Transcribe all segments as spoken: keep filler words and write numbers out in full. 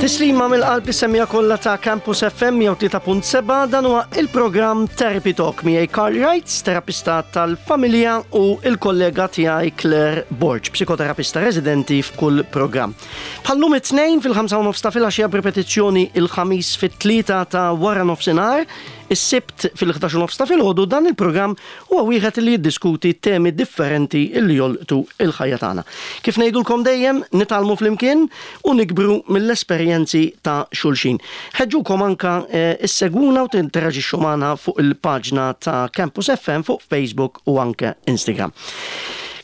Tislima mill-qalb lis-semmiegħa kollha ta' Campus F M mija u tlieta punt sebgħa. Dan huwa il-programm Therapy Talk miegħi Carl Wrights, terapista tal-familja, u il-kollega tiegħi Claire Borg, psikoterapista residenti f'kull programm. Bħal-lum it-Tnejn fil-ħamsa u nofs ta' filgħaxija, b'ripetizzjoni il-Ħamis fit-tlieta ta' wara nofsinhar, is-Sibt fil-ħdax u nofs ta' filgħodu, dan il-programm huwa wieħed li jiddiskuti temi differenti illi jolqtu il-ħajja tagħna. Kif ngħidulkom dejjem, nitgħallmu flimkien u nikbru mill-esperjenzi ta' xulxin. Ħeġġukom anka eh, issegwuna u tinteraġixxu magħna fuq il-paġna ta' Campus F M fuq Facebook u anke Instagram.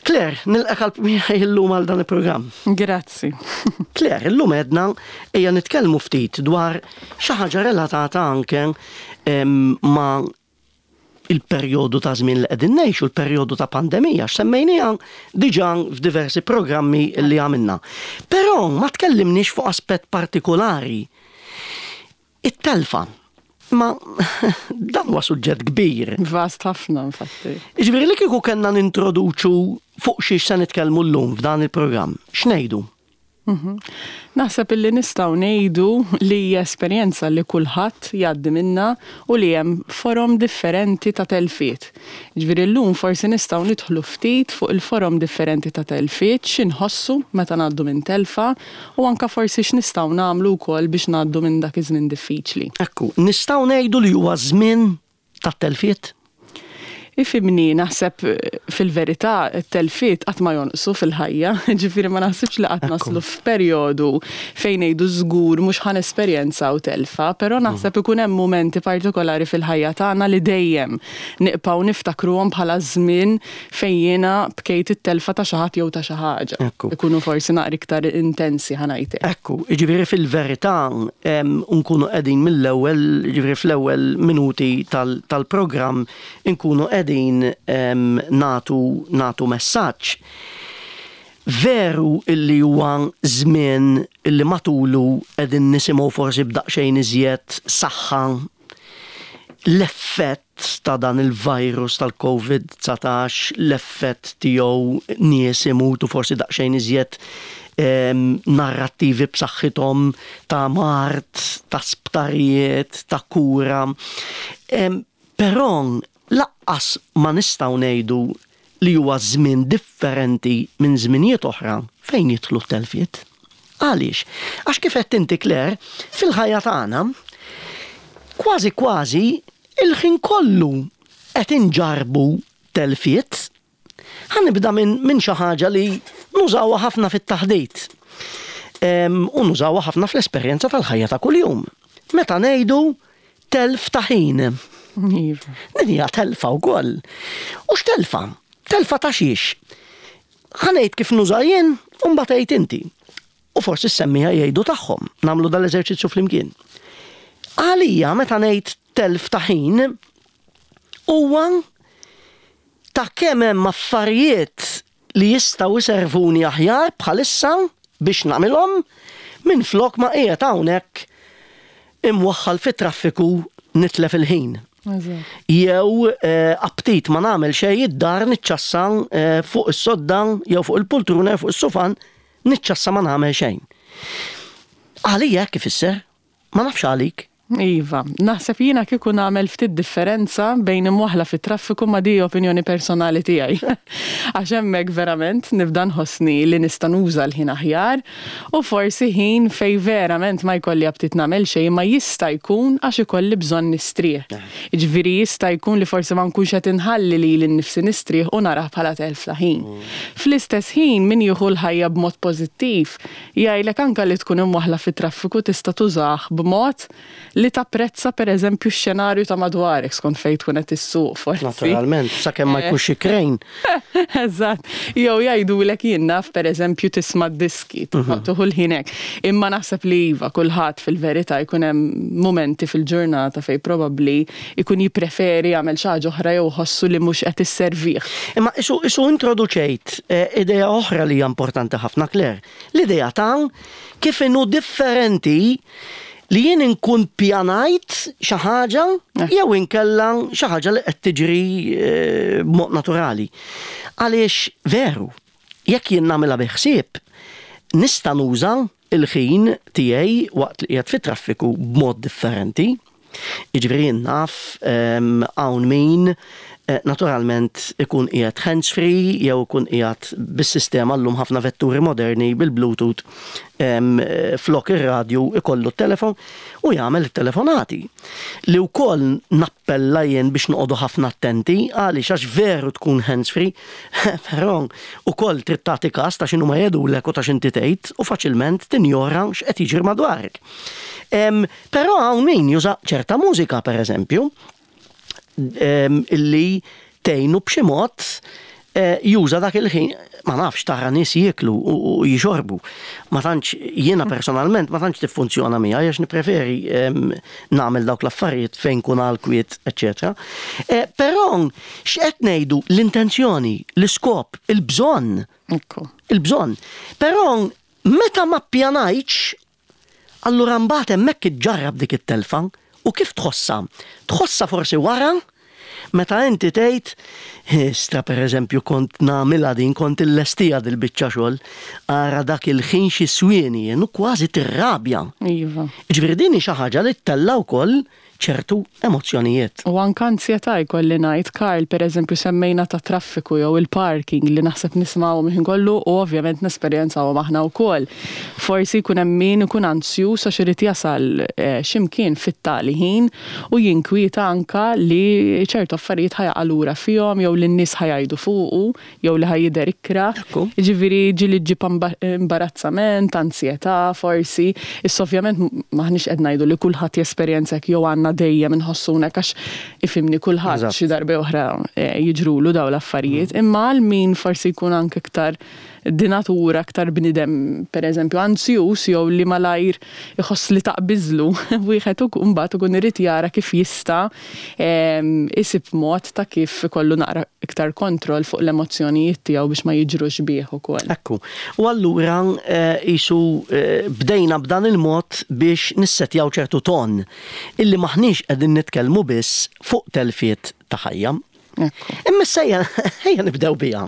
Claire, nilqgħek miegħi illum għal dan il-programm. Grazzi. Claire, illum għedna ejja nitkellmu ftit dwar xi ħaġa relatata anke em, ma' il-perjodu ta' żmien li qegħdin ngħixu, il-perjodu ta' pandemija, x'semmejniha diġà f'diversi programmi li għamilna. Però ma tkellimniex fuq aspett partikolari. It-telfa. Ma dan huwa suġġett kbir. Vast ħafna, infatti. Jiġifieri li kieku kellna nintroduċu fuq xiex se nitkellmu llum f'dan il-programm, x'ngħidu? Mhm. Naħseb illi nistgħu ngħidu li hija esperjenza li kulħadd jgħaddi minna u li hemm forom differenti ta' telfiet. Ġifieri llum forsi nistgħu nidħlu ftit fuq il-forom differenti ta' telfiet, x'inħossu meta ngħaddu minn telfa u anka forsi x'nistgħu nagħmlu wkoll biex ngħaddu minn dak iż-żmien diffiċli. Ekku, nistgħu ngħidu li huwa żmien ta' telfiet? Ifhimni, naħseb eh, fil-verità t-telfiet qatt ma jonqsu fil-ħajja, ġifieri ma naħsibx li qatt naslu f'perjodu fejn ngħidu żgur mhux ħa nesperjenzaw telfa, però naħseb ikun hemm mumenti partikolari fil-ħajja tagħna li dejjem nibqgħu niftakruhom bħala żmien fejn jiena bkejt it-telfa ta' xi ħadd jew ta' xi ħaġa. Ekku. Ikunu forsi naqra iktar intensi, ħa ngħidlek. Ekku, ġifieri fil-verità em, nkunu qegħdin mill-ewwel, ġifieri fl-ewwel minuti tal- tal-programm nkunu qegħdin em, natu natu messaġġ. Veru illi huwa żmien illi matulu qegħdin nisimgħu forsi b'daqsxejn iżjed saħħa l-effett ta' dan il-virus tal-Covid dsatax, l-effett tiegħu, nies imutu, forsi daqsxejn iżjed em, narrattivi b'saħħithom ta' mard, ta' sptarijiet, ta' kura. Em, Però lanqas ma nistgħu ngħidu li huwa żmien differenti minn żminijiet oħra fejn jidħlu t-telfiet. Għaliex? Għax kif qed inti, Claire, fil-ħajja tagħna kważi kważi il-ħin kollu qed inġarbu telfiet. Ħa nibda minn min xi ħaġa li nużawha ħafna fit-taħdit. Em, U nużawha ħafna fl-esperjenza tal-ħajja ta' kuljum. Meta ngħidu telf ta' ħin. Iva. Din hija telfa wkoll. U x'telfa? Telfa ta' xiex? Ħa ngħid kif nuża jien u mbagħad għid inti. U forsi s-semmiegħa jgħidu tagħhom. Nagħmlu dal-eżerċizzju flimkien. Għalija meta ngħid telf ta' ħin huwa ta' kemm hemm affarijiet li jistgħu jservuni aħjar bħalissa biex nagħmilhom minn flok ma qiegħed hawnhekk imwaħħal fit-traffiku nitlef il-ħin. Eżatt. Jew eh, aptit ma nagħmel xejn id-dar, niċċassa eh, fuq is-sodda jew fuq il-pultruna jew fuq is-sufan, niċċassa ma nagħmel xejn. Għalija kif isser? Ma nafx għalik. Iva, naħseb jiena kieku nagħmel ftit differenza bejn imwaħla fit-traffiku, ma di opinjoni personali tiegħi. Għax hemmhekk verament nibda nħossni li nista' nuża l-ħin aħjar u forsi ħin fej verament ma jkolli aptit nagħmel xejn, ma jista' jkun għax ikolli bżonn nistrieħ. Jiġifieri jista' jkun li forsi ma nkunx qed inħalli lili nnifsi nistrieħ u narah bħala telf ta' ħin. Fl-istess ħin, min jieħu l-ħajja b'mod pożittiv jgħidlek anka li tkun imwaħla fit-traffiku tista' tużah b'mod li tapprezza, per eżempju, x-xenarju ta' madwarek skont fejn tkun qed issuq forsi. Naturalment, sakemm ma jkunx xi krejn. Eżatt. Jew jgħidulek, jien naf, per eżempju tisma' diski, tieħu l-ħin hekk. Imma naħseb li iva, kulħadd fil-verità jkun hemm momenti fil-ġurnata fejn probabbli jkun jippreferi jagħmel xi ħaġa oħra jew ħossu li mhux qed isservih. Imma isu, isu introduċejt eh, idea oħra li hija importanti ħafna, Claire. L-idea ta' kif inhu differenti li jien inkun pjanajt xi ħaġa Eh. jew inkella xi ħaġa li qed tiġri eh, b'mod naturali. Għaliex veru, jekk jien nagħmilha bi ħsieb, nista' nuża il-ħin tiegħi waqt li qiegħed fit-traffiku b'mod differenti. Jiġifieri naf hawn min eh, naturalment ikun qiegħed hands-free jew ikun qiegħed bis-sistema, llum ħafna vetturi moderni bil-Bluetooth, flok ir-radju ikollu t-telefon u jagħmel it-telefonati. Li wkoll nappella jien biex noqogħdu ħafna attenti, għaliex għax veru tkun hands-free, però ukoll trid tagħti każ ta' x'inhu ma jgħidulek u ta' x'inti tgħid u faċilment tinjora x'qed jiġri madwarek. Però hawn min juża ċerta mużika, per eżempju, illi tgħinu b'xi mod eh, juża dak il-ħin. Ma nafx, tara nies jieklu u jixorbu. Ma tantx, jiena personalment, ma tantx tiffunzjona miegħi għax nippreferi nagħmel dawk l-affarijiet fejn kun għal kwiet, eċetera. Eh, però x'qed ngħidu, l-intenzjoni, l-iskop, il-bżonn. Il-bżonn. Però meta ma ppjanajtx, allura mbagħad hemmhekk iġġarrab dik it-telfa. U kif tħossha? Tħossha forsi wara, meta inti tgħid, "Istra, pereżempju, kont nagħmilha din, kont illestija dil-biċċa xogħol, ara dak il-ħin xi swieni jien", u kważi tirrabja. Iva. Ġifieri din hi xi ħaġa li ttella' wkoll ċertu emozzjonijiet. U anka ansjetà jkolli ngħid, Karl. Per eżempju, semmejna ta' traffiku jew il-parking li naħseb nismgħu minn kollu u ovvjament nesperjenzawhom aħna wkoll. Forsi jkun hemm min ikun ansjuż għax irid jasal eh, x'imkien fit-tali ħin u jinkwieta anka li ċertu affarijiet ħa jaqa' lura fihom jew li n-nies ħa jgħidu fuqu jew li ħa jidher ikrah. Ġifieri ġieli ġġib imbarazzament, ansjetà forsi. Issa ovvjament maħniex qed ngħidu li kulħadd jesperjenza jew għandna dejjem inħossuna, għax ifhimni, kulħadd xi darba oħra eh, jiġrulu daw l-affarijiet, mm. imma għal min forsi jkun anke iktar di natura aktar bnidem, per eżempju, ansjus jew li malajr iħoss li taqbiżlu, wieħed mbagħad ikun irid jara kif jista' isib mod ta' kif ikollu naqra iktar kontroll fuq l-emozzjonijiet tiegħu biex ma jiġrux bih ukoll. Ekku. U allura qisu eh, bdejna b'dan il-mod biex nissetjaw ċertu ton illi maħniex qegħdin nitkellmu biss fuq telfiet ta' ħajja. Imma ejja ejja nibdew biha.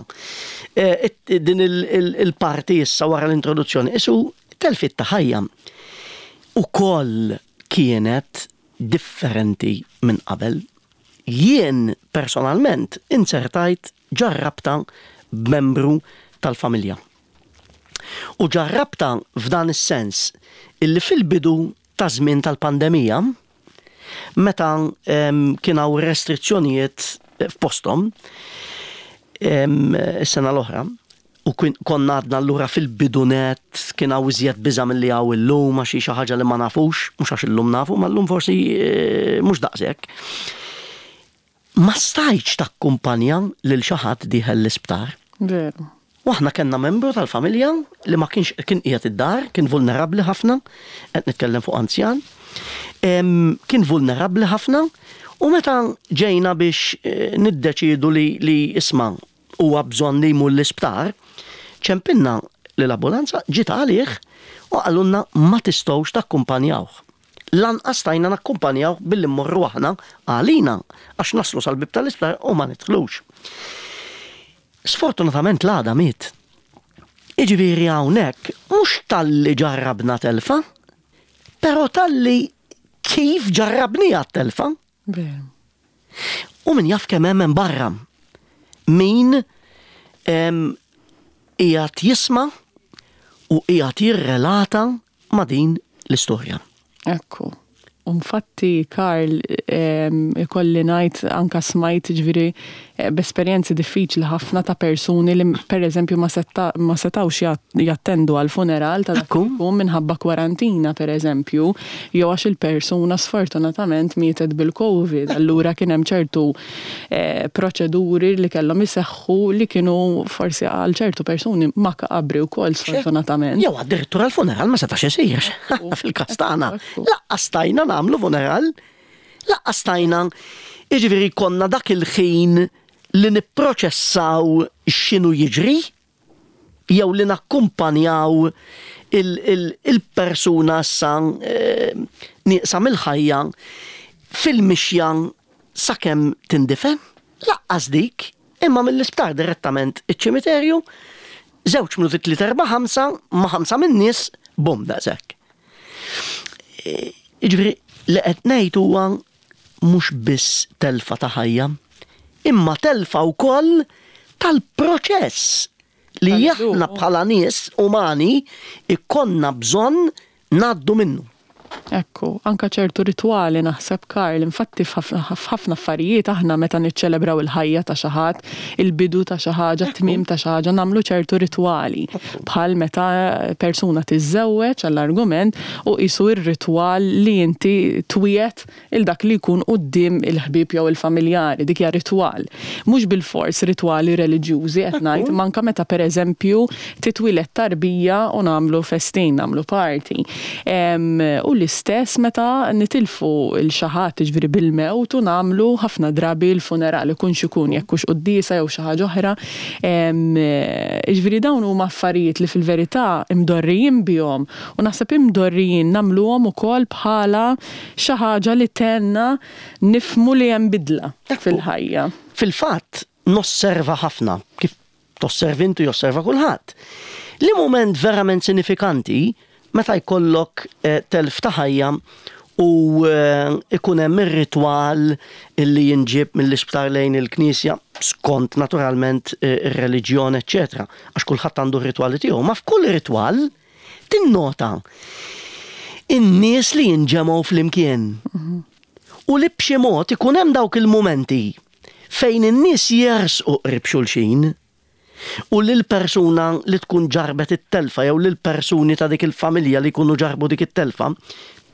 Eh, din il-parti issa wara l-introduzzjoni, qisu telfiet ta' ħajja ukoll kienet differenti minn qabel. Jien personalment insertajt ġarrabta b'membru tal-familja. U ġarrabta f'dan is-sens illi fil-bidu ta' żmien tal-pandemija, meta kien hawn restrizzjonijiet f'posthom is-sena l-oħra, u konna għadna allura fil-bidunet, kien hawn iżjed biża' milli hawn illum għax xi ħaġa li ma nafux, mhux għax illum nafu, ma llum forsi eh, mhux daqshekk. Ma stajtx takkumpanja lil xi ħadd dieħel l-isptar. Veru. U aħna kellna membru tal-familja li ma kienx, kien qiegħed id-dar, kien vulnerabbli ħafna, qed nitkellem fuq anzjan, kien vulnerabbli ħafna u meta ġejna biex eh, niddeċidu li, li isma' huwa bżonn li jmur l-isptar, ċempilna l-ambulanza, ġiet għalih u qalulna ma tistgħux takkumpanjawh. Lanqas stajna nakkumpanjaw billi mmorru aħna għalina, għax naslu sal-bib tal-isptar u ma nidħlux. Sfortunatament l-għada miet. Iġifieri hawnhekk mhux talli ġarrabna telfa, però talli kif ġarrabni telfa. U min jaf kemm hemm barra. Min qiegħed jisma' u qiegħed jirrelata ma' din l-istorja. Ekku. Infatti, Karl, ikolli ngħid anka smajt, ġifieri, eh, b'esperjenzi diffiċli ħafna ta' persuni li per eżempju ma setawx jattendu għal funeral ta' dak minħabba kwarantina, per eżempju, jew għax il-persuna sfortunatament mietet bil-Covid. Allura kien hemm ċertu eh, proċeduri li kellhom iseħħu li kienu forsi għal ċertu persuni makabri wkoll, sfortunatament. Jew addirittura l-funeral ma setax isir. Fil-każ tagħna. Lanqas stajna nagħmlu funeral, lanqas stajna, jiġifieri konna dak il-ħin li nipproċessaw x'inhu jiġri, jew li nakkumpanjaw il-persuna issa eh, nieqsa mill-ħajja fil-mixja sakemm tindifen, lanqas dik, imma mill-isptar direttament iċ-ċimiterju, żewġ minuti, tlieta, erba', ħamsa, ma' ħamsa min-nies. Bum, daqshekk. Jiġifieri, li qed ngħid huwa mhux biss telfa ta' ħajja, imma telfa wkoll tal-proċess li aħna bħala nies umani ikollna bżonn ngħaddu minnu. Ekku, anka ċertu ritwali naħseb, Karl, infatti f'ħafna affarijiet aħna meta niċċelebraw il-ħajja ta' xi ħadd, il-bidu ta' xi ħaġa, tmiem ta' xi ħaġa, nagħmlu ċertu ritwali. Bħal meta persuna tiżżewweġ, għall-argument, u qisu ir-ritwal li inti twiegħed lil dak li jkun quddiem il-ħbieb jew il-familjari, dik hija ritwal. Mhux bil-fors ritwali reliġjużi qed ngħid, manka meta, pereżempju, titwieled tarbija u nagħmlu festin, nagħmlu party. U l-istess meta nitilfu lil xi ħadd, ġifieri bil-mewt, u nagħmlu ħafna drabi l-funeral, ikun x'ikun, jekk hux quddiesa jew xi ħaġa oħra. Ġifieri dawn huma affarijiet li fil-verità imdorrijin bihom u naħseb imdorrijin nagħmluhom ukoll bħala xi ħaġa li tgħinna nifhmu li hemm bidla fil-ħajja. Fil-fatt, nosserva ħafna, kif tosservi intu, josserva kulħadd. Li moment verament sinifikanti meta jkollok eh, telf ta' ħajja u eh, ikun hemm ir-ritwal illi jinġib mill-isptar lejn il-knisja skont naturalment eh, ir-reliġjon, eċċetera. Għax kulħadd għandu r-ritwali tiegħu, ma f'kull ritwal tinnota in-nies li jinġemgħu flimkien. U li b'xi mod ikun hemm dawk il-mumenti fejn in-nies jersqu qrib xulxin u li l-persuna li tkun ġarbet it-telfa jew li l-persuni ta' dik il-familja li jkunu ġarbu dik it-telfa,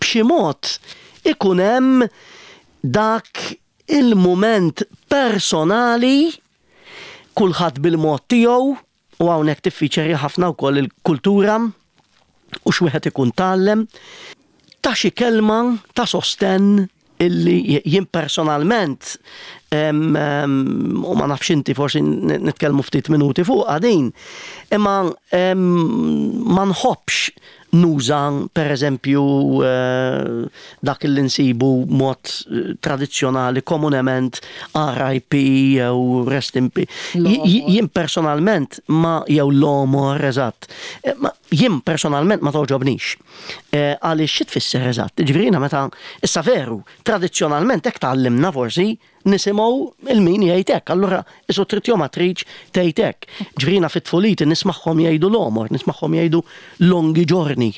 b'xi mod ikun hemm dak il-moment personali, kulħadd bil-mod tiegħu, u hawnhekk tiffiċeri ħafna wkoll il-kultura u x'wieħed ikun tgħallem ta' xi kelma ta' sosten illi jien personalment, u ma nafx inti, forsi nitkellmu ftit minuti fuq din, imma ma nħobbx nuża, per eżempju, eh, dak li nsibu mod eh, tradizzjonali komunement, R I P jew rest in peace. Jien personalment ma jew l-omor, eżatt. Eh, jien personalment ma togħġobnix. Għaliex xi tfisser eżatt? Ġifieri meta issa veru, tradizzjonalment hekk tgħallimna forsi nisimgħu lil min jgħid hekk, allura isu trid jew ma tridx tgħid hekk. Ġifieri fit-tfuliti nismagħhom jgħidu l-omor, nismagħhom jgħidu lunghi giorni.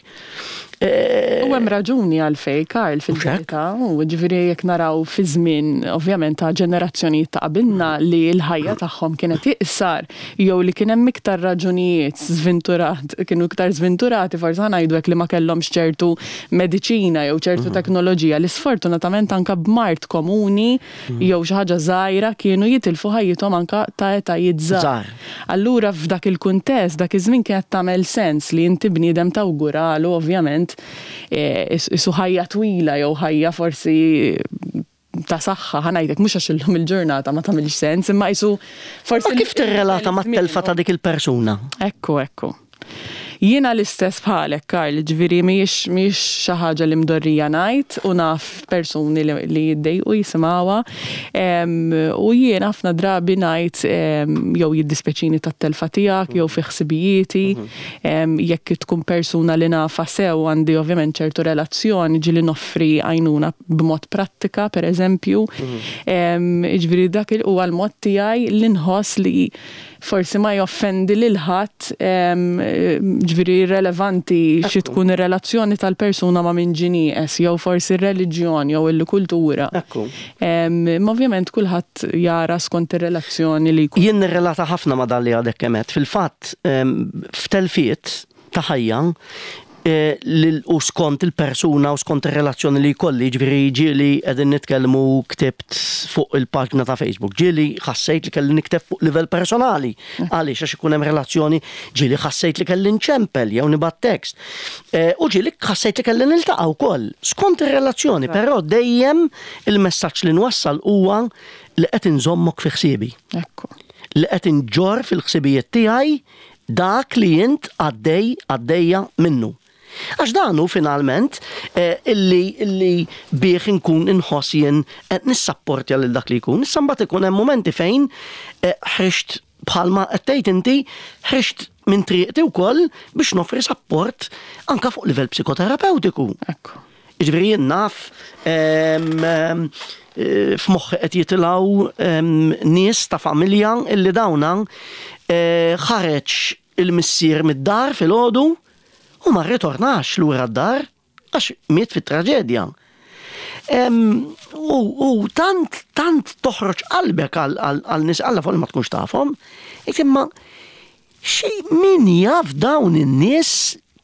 Eh, u hemm raġuni għalfejn, Karl, fil-verità, u ġifieri jekk naraw fi żmien ovvjament ta' ġenerazzjonijiet ta' qabilna li l-ħajja tagħhom kienet iqsar jew li kien hemm iktar raġunijiet żventurat, kienu iktar żventurati forsi ngħidu hekk, li ma kellhomx ċertu mediċina jew ċertu mhm. teknoloġija li sfortunatament anka b'mard komuni mhm. jew xi ħaġa żgħira kienu jitilfu ħajjithom anka ta' etajiet żgħar. Allura f'dak il-kuntest, dak iż-żmien kienet tagħmel sens li inti bniedem tawguralu ovvjament Eh, isu ħajja twila jew ħajja forsi ta' saħħa, ħa ngħidlek, mhux għax illum il-ġurnata ma tagħmilx sens, imma isu forsi. Ma kif tirrelata mat-telfa ta' dik il-persuna? Ekku, ekku. Jiena l-istess bħalek, Karl, ġifieri mhijiex mhijiex xi ħaġa li mdorrija ngħid u naf persuni li, li jiddejqu jisimgħuha. Em, U jiena ħafna drabi ngħid em, jew jiddispeċini tat-telfa tiegħek jew fi ħsibijieti. Em, Jekk tkun persuna li nafa sew, għandi ovvjament ċertu relazzjoni, ġieli noffri għajnuna b'mod prattika, per eżempju. Em, Ġifieri dak il- huwa l-mod tiegħi li nħoss li forsi ma joffendi lil ħadd, ġifieri irrelevanti xi tkun ir-relazzjoni tal-persuna ma' min ġie nieqes jew forsi ir-reliġjon jew il-kultura. Ekku. Em, Ma ovvjament kulħadd jara skont ir-relazzjoni li jkun. Jien nirrelata ħafna ma' dan li għadek kemm għedt. Fil-fatt, em, f'telfiet ta' ħajja, eh, lil- u skont il-persuna u skont il-relazzjoni li jkolli, ġifieri ġieli qegħdin nitkellmu, ktibt fuq il-paġna ta' Facebook, ġieli ħassejt li kelli nikteb fuq livell personali, għaliex għax ikun hemm relazzjoni, ġieli ħassejt li kelli nċempel jew nibgħat tekst. Eh, U ġieli ħassejt li kelli niltaqa' wkoll skont ir-relazzjoni, però dejjem il-messaġġ li nwassal huwa li qed inżommok fi ħsiebi, Ekku. li qed inġorr fil-ħsibijiet tiegħi dak li int għaddej, għaddejja minnu. Għax dan hu finalment eh, illi illi bih inkun inħoss jien qed nissapportja lil dak li jkun. Issa mbagħad ikun hemm momenti fejn eh, ħriġt, bħalma qed tgħid inti, ħriġt minn triqti wkoll biex nofri support anka fuq livell psikoterapeutiku. Ekku. Jiġifieri jien naf em, em, eh, f'moħħi qed jitilgħu em, nies ta' familja illi dawna eh, ħareġ il-missier mid-dar filgħodu u ma rritornax lura d-dar għax miet fit-traġedja. Em, U u tant, tant toħroġ qalbek għal- għal għal nies alla fuq li ma tkunx tafhom, imma xi min jaf dawn in-nies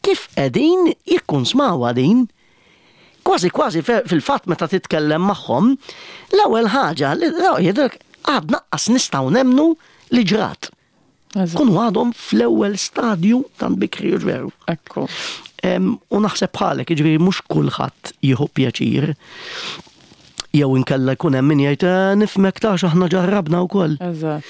kif qegħdin jikkunsmaw din. Kważi kważi fe- fil-fatt meta titkellem magħhom, l-ewwel ħaġa li jgħidlek għad lanqas nistgħu nemmnu li ġrat. Eżatt. Kunu għadhom fl-ewwel stadju tant bikri u veru. Ekku. Em, U naħseb bħalek, jiġifieri mhux kulħadd jieħu pjaċir. Jew inkella jkun hemm min jgħid "Eh, nifhmek tax aħna ġarrabna wkoll. Eżatt.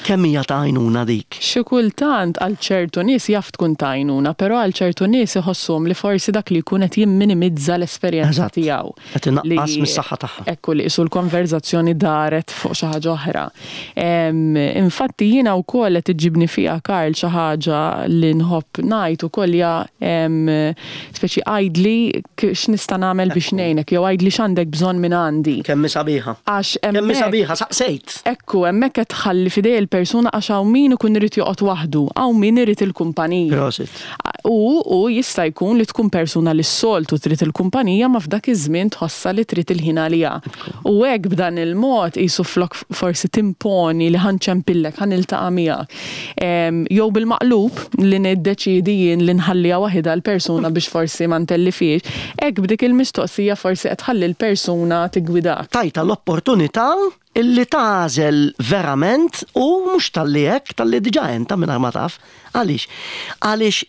Kemm hija ta' għajnuna dik? Xi kultant għal ċertu nies jaf tkun ta' għajnuna, però għal ċertu nies iħossuhom li forsi dak li jkun qed jimminimizza l-esperjenza Eżatt. tiegħu. Qed inaqqas Li- mis-saħħa tagħha. Ekku li qisu l-konverzazzjoni daret fuq xi ħaġa oħra. Em, Infatti jiena wkoll qed iġibni fiha Karl xi ħaġa li nħobb ngħid ukoll hija em, speċi għidli k- x'nista' nagħmel biex ngħinek jew għidli x'għandek bżonn minn għandi. Kemm hi sabiħa. Għax Kemm hi hemmhekk- sabiħa, saqsejt. Ekku, hemmhekk qed tħalli f'idej il-persuna għax hawn min ikun irid joqgħod waħdu, hawn min irid il-kumpanija. Prosit. U, u jista' jkun li tkun persuna li s-soltu trid il-kumpanija ma f'dak iż-żmien tħossa li trid il-ħin għaliha. U hekk b'dan il-mod qisu flok forsi timponi li ħa nċempillek, ħa niltaqa' miegħek. Em, Jew bil-maqlub li niddeċidi jien li nħalliha waħidha l-persuna biex forsi ma ntellifix, hekk b'dik il-mistoqsija forsi qed tħalli l-persuna tigwidak. Tajtha l-opportunità illi tagħżel verament u mhux talli hekk, talli diġà enta minn ma taf. Għaliex? Għaliex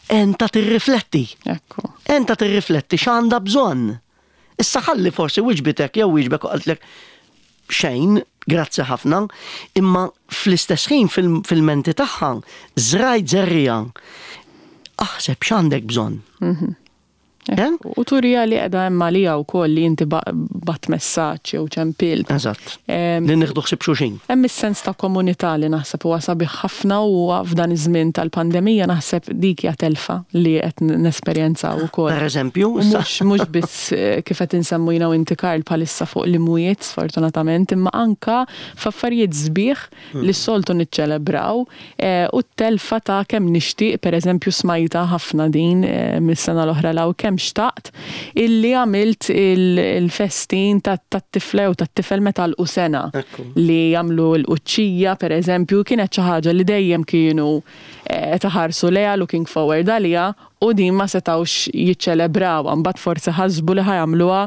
enta tirrifletti. Ekku. Enta tirrifletti x'għandha bżonn. Issa ħalli forsi wiġbitek jew wiġbek u qaltlek xejn, grazzi ħafna, imma fl-istess ħin fil- fil-menti tagħha żrajt żerriegħa. Aħseb x'għandek bżonn. Eh? U turija li qiegħda hemm għaliha wkoll li inti ba- bgħatt messaġġ jew ċempilt. Eżatt. Em, Li nieħdu ħsieb xulxin. Hemm is-sens ta' komunità li naħseb huwa sabiħ ħafna u f'dan iż-żmien tal-pandemija naħseb dik hija telfa li qed nesperjenzaw ukoll. Per eżempju, U issa- Mhux mhux biss eh, kif qed insemmu jiena u inti Karl bħalissa fuq l-imwiet sfortunatament, imma anka f'affarijiet sbieħ li s-soltu niċċelebraw eh, u t-telfa ta' kemm nixtieq, pereżempju smajta ħafna din eh, mis-sena l-oħra law kemm xtaqt illi għamilt il- il-festin tat-tifla u tat-tifel meta l sena Ekku. li jagħmlu l-quċċija per eżempju kienet xi ħaġa li dejjem kienu eh, taħarsu lejha looking forward għaliha u din ma setawx jiċċelebraw mbagħad forsi ħasbu li ħa jagħmluha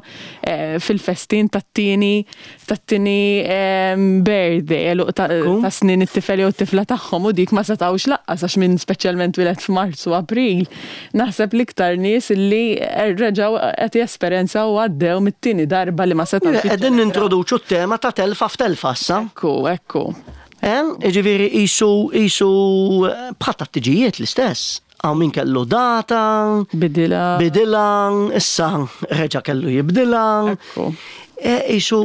eh, fil-festin tat-tieni tat-tieni em, birthday eluq ta' Ekku. ta' snin it-tifel jew t-tifla tagħhom u dik ma setawx lanqas għax minn speċjalment twieled f'Marzu April. Naħseb l-iktar nies li reġgħu qed jesperjenzaw u għaddew mit-tieni darba li ma setawx. Qegħdin nintroduċu t-tema ta' telfa f'telfa issa. Ekku, ekku. Eh? Jiġifieri qisu qisu bħal tat-tiġijiet l-istess. Hawn min kellu data, Bidila. bidila, issa reġa' kellu jibdila. Ekku. E, Qisu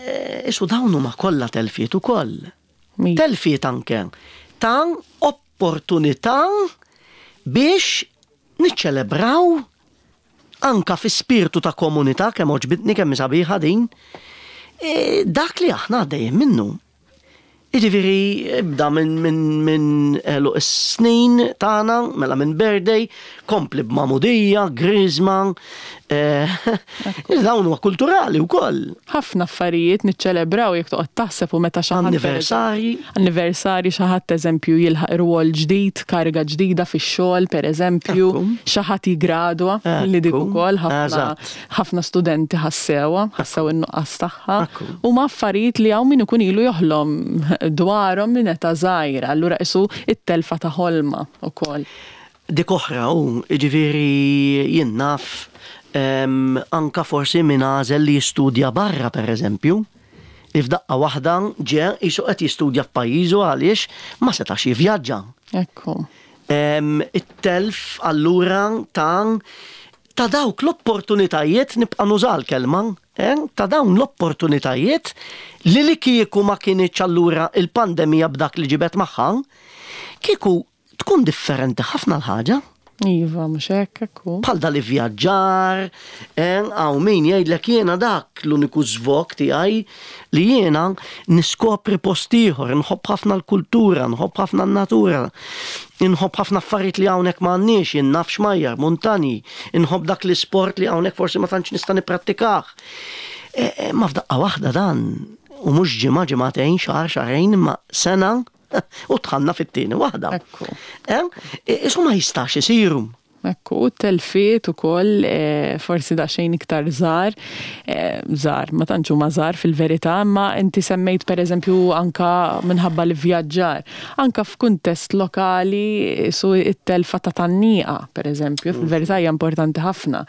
e, qisu dawn huma kollha telfiet ukoll. Mi- Telfiet anke ta' opportunità biex niċċelebraw anka fi spiritu ta' komunità kemm għoġbitni kemm sabiħa din, e, dak li aħna għaddejjem minnu. Jiġifieri, ibda minn min, min għeluq is-snin tagħna, mela minn birthday, kompli b'magħmudija, griżma, eh, dawn huma kulturali wkoll. ħafna affarijiet niċċelebraw jekk toqgħod taħseb u meta xi ħadd Anniversari. Anniversari xi ħadd eżempju jilħaq rwol ġdid, kariga ġdida fix-xogħol pereżempju, Ekku. xi ħadd jigradwa li dik Ekku. ukoll ħafna Eżatt. ħafna studenti ħassewha, ħassew in-nuqqas tagħha. Ekku. U ma affarijiet li hawn min ikun ilu joħlom dwarhom minn età żgħira, allura qisu it-telfa ta' ħolma ukoll. Dik oħra u, jiġifieri jien naf em, anka forsi min għażel li jistudja barra per eżempju, li f'daqqa waħda ġe qisu qed jistudja f'pajjiżu għaliex ma setax jivvjaġġa. Ekku. Em, It-telf allura ta' ta' dawk l-opportunitajiet nibqa' nuża l-kelma, eh? ta' dawn l-opportunitajiet li li kieku ma kinitx allura il-pandemija b'dak li ġibet magħha, kieku Tkun differenti ħafna l-ħaġa. Iva, mhux hekk, ekku. Bħal dal-ivvjaġġar, hawn min jgħidlek jiena dak l-uniku żvog tiegħi li jiena niskopri post ieħor, nħobb ħafna l-kultura, nħobb ħafna n-natura, nħobb ħafna affarijiet li hawnhekk m'għandniex, jien naf xmajjar, muntani, nħobb dak l-isport li hawnhekk forsi ma tantx nista' nipprattikah. E, e, ma f'daqqa waħda dan, u mhux ġimgħa, ġimagħtejn, xahar, xahrejn, ma sena u dħalna fit-tieni waħda. Ekku. Isu ma jistax isiru. Ekku, telfiet ukoll forsi daqsxejn iktar żgħar, żgħar, ma tantx huma żgħar fil-verità, ma inti semmejt pereżempju anka minħabba l-vjaġġar, anka f'kuntest lokali su it-telfa ta' tgħanniqa, pereżempju, fil-verità hija importanti ħafna.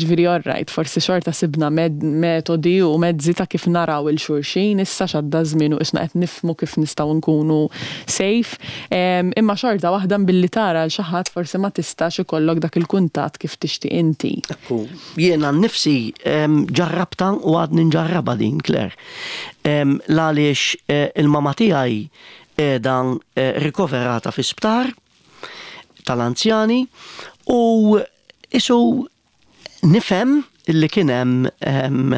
Ġifieri all right, forsi xorta sibna metodi u mezzi ta' kif naraw lil xulxin, issa x'għadda żmien u isna qed nifhmu kif nistgħu nkunu safe, imma xorta waħda billi tara l xi ħadd forsi ma tistax ikollok dak il-kuntatt kif tixtieq inti. Ekku, jiena nnifsi ġarrabta u għadni nġarraba din, Claire. L-għaliex il-mama tiegħi qiegħda rikoverata fi sptar tal-anzjani u isu nifhem illi kien hemm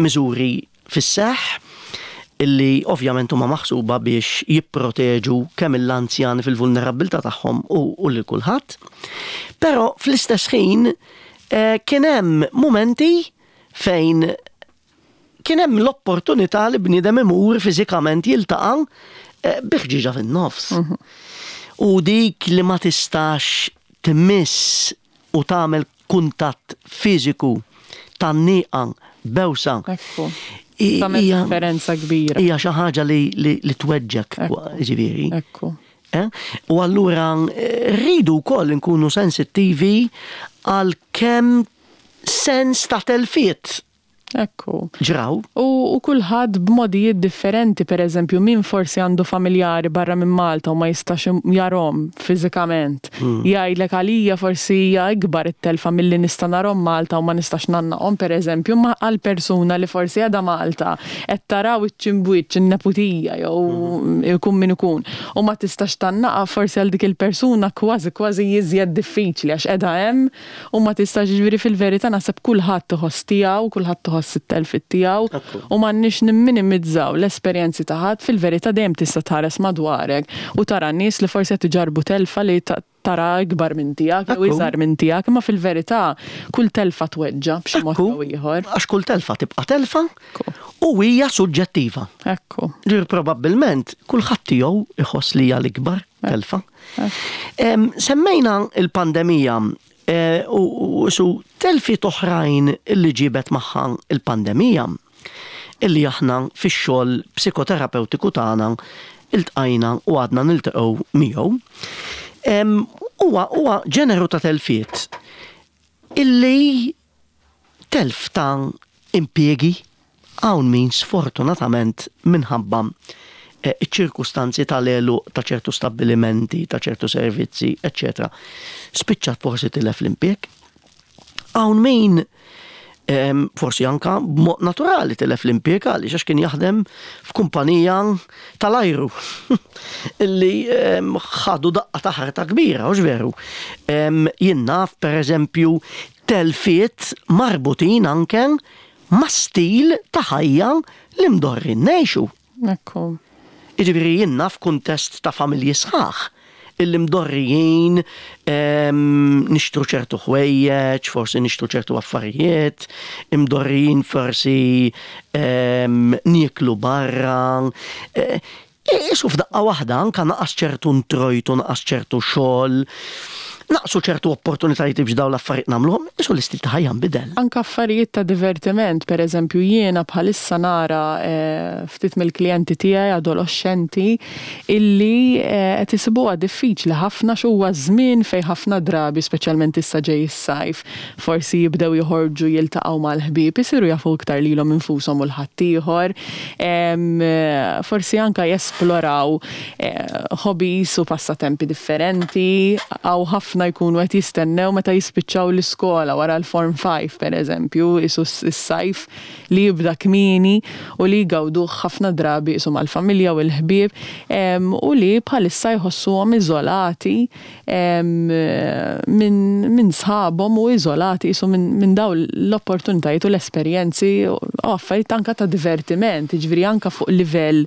miżuri fis-seħħ illi ovvjament huma maħsuba biex jipproteġu kemm l-anzjani fil-vulnerabilità tagħhom u lil kulħadd. Però fl-istess ħin kien hemm momenti fejn kien hemm l-opportunità li bniedem imur fiżikament jiltaqa' bi ħġieġa fin-nofs. U dik li ma tistax tmiss u tagħmel kuntatt fiżiku tgħanniqa bewsa. Ekku. Tagħmel differenza kbira. Hija xi ħaġa li, li, li tweġġek, ġifieri. Ekku. U allura rridu wkoll nkunu sensittivi għal kemm sens ta' telfiet Ekku. Ġraw. U, u kulħadd b'modijiet differenti, per eżempju, min forsi għandu familjari barra minn Malta u ma jistax jarahom fiżikament. Hmm. Jgħidlek għalija forsi hija ikbar it-telfa milli nista' narahom Malta u ma nistax ngħannaqhom, per eżempju, ma għal persuna li forsi għadha Malta qed taraw iċ-ċimbwiċ in-neputija jew hmm. ikun min ikun u ma tistax tgħannaqa forsi għal dik il-persuna kważi kważi jiżjed diffiċli għax qiegħda hemm u ma tistax ġifieri fil-verità naħseb kulħadd iħoss tiegħu, kulħadd iħoss it-telfiet tiegħu u m'għandniex nimminimizzaw l-esperjenzi ta' ħadd fil-verità dejjem tista' tħares madwarek u tara nies li forsi qed iġarbu telfa li tara ikbar minn tiegħek jew iżgħar minn tiegħek, imma fil-verità kull telfa tweġġa' b'xi mod jew ieħor. Għax kull telfa tibqa' telfa u hija suġġettiva. Ekku. Ġifieri probabbilment kulħadd tiegħu iħoss li hija l-ikbar telfa. Semmejna il-pandemija u su telfiet oħrajn illi ġibet magħha il-pandemija illi aħna fix-xogħol psikoterapeutiku tagħna iltqajna u għadna niltaqgħu miegħu. Huwa huwa ġeneru ta' telfiet illi telf ta' impjiegi hawn min sfortunatament minħabba iċ-ċirkustanzi tal-għeluq ta' ċertu stabbilimenti, ta' ċertu servizzi, eccetera. Spiċċat forsi tilef l-impjieg. Hawn min forsi anka b'mod naturali tilef l-impjieg għaliex għax kien jaħdem f'kumpanija tal-ajru illi ħadu daqqa ta' ħarta kbira, hux veru. Jien naf per eżempju telfiet marbutin anke ma' stil ta' ħajja li mdorrin ngħixu. Ekku. Jiġifieri jien naf kuntest ta' familji sħaħ illi mdorrijin nixtru ċertu ħwejjeġ, forsi nixtru ċertu affarijiet, imdorrijin forsi nieklu barra. Isu f'daqqa waħda anka naqas ċertu introjtu, naqas ċertu xogħol, naqsu ċertu opportunitajiet biex dawn l-affarijiet nagħmluhom, isu l-istil ta' ħajja nbidel. Anka affarijiet ta' divertiment, per eżempju jiena bħalissa nara ftit mill-klijenti tiegħi adolescenti illi qed isibuha diffiċli ħafna x'huwa żmien fejn ħafna drabi, speċjalment issa ġej is-sajf, forsi jibdew joħorġu jiltaqgħu mal-ħbieb, isiru jafu iktar lilhom infushom u l-ħaddieħor, forsi anka jesploraw hobbies u passatempi differenti, hawn ħafna ħafna jkunu qed jistennew meta jispiċċaw l-iskola wara l-Form five, per eżempju, isu s-sajf li jibda kmieni u li jgawduh ħafna drabi isu mal-familja u l-ħbieb, u li bħalissa jħossuhom iżolati minn min sħabhom u iżolati isu minn min dawn l-opportunitajiet u l-esperjenzi u affarijiet anka ta' divertiment, jiġifieri anka fuq livell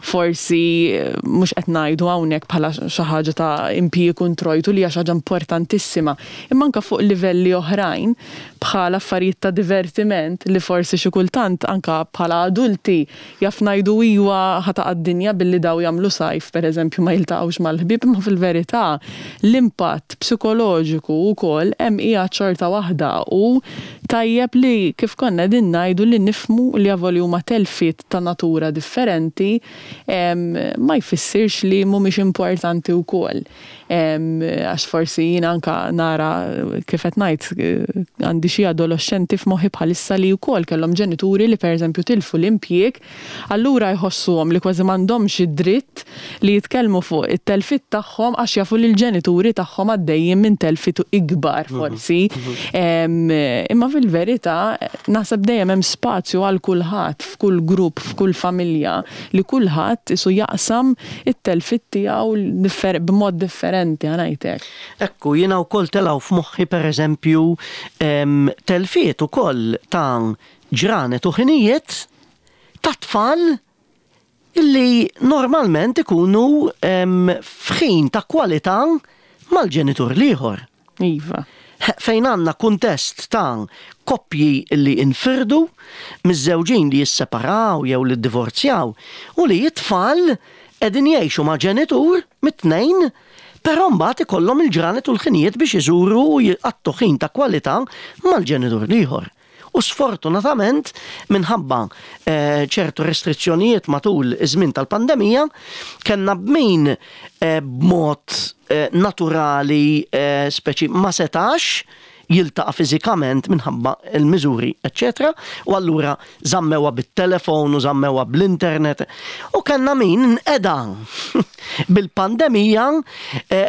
forsi mhux qed ngħidu hawnhekk bħala xi ħaġa ta' impjieg u introjtu li hija xi ħaġa importantissima, imma anke fuq livelli oħrajn bħala affarijiet ta' divertiment li forsi xi kultant anke bħala adulti jaf ngħidu iwa ħa taqa' d-dinja billi daw jagħmlu sajf, pereżempju, ma jiltaqgħux mal-ħbieb, imma fil-verità l-impatt psikoloġiku wkoll hemm qiegħed xorta waħda u tajjeb li kif konna qegħdin ngħidu li nifhmu li avolja huma telfiet ta' natura differenti, ma jfissirx li mhumiex importanti wkoll. Għax forsi jiena anka nara, kif qed ngħid, għandi xi adolescenti f'moħħi bħalissa li wkoll kellhom ġenituri li pereżempju tilfu l-impjieg, allura jħossuhom li kważi m'għandhomx id-dritt li jitkellmu fuq it-telfiet tagħhom għax jafu li l-ġenituri tagħhom għaddejjin minn telfiet ikbar forsi. Imma fil-verità naħseb dejjem hemm spazju għal kulħadd f'kull grupp, f'kull familja, li kulħadd isu jaqsam it-telfiet tiegħu b'mod differenti, ħa ngħidlek. Ekku, jiena wkoll telgħu f'moħħi pereżempju telfiet ukoll ta' ġranet u ħinijiet ta' tfal illi normalment ikunu f'ħin ta' kwalità mal-ġenitur l-ieħor. Iva. Fejn għandna kuntest ta' koppji li infirdu, miżżewġin li jisseparaw jew li ddivorzjaw u li t-tfal qegħdin jgħixu ma' ġenitur mit-tnejn, però mbagħad ikollhom il-ġranet u l-ħinijiet biex iżuru u jqattu ħin ta' kwalità mal-ġenitur l-ieħor. U sfortunatament minħabba ċertu restrizzjonijiet matul iż-żmien tal-pandemija kellna b'min b'mod naturali speċi ma setax jiltaqa' fiżikament minħabba il-miżuri, eċċetera. U allura żammewha bit-telefon u żammewha bl-internet. U kellna min nqeda bil-pandemija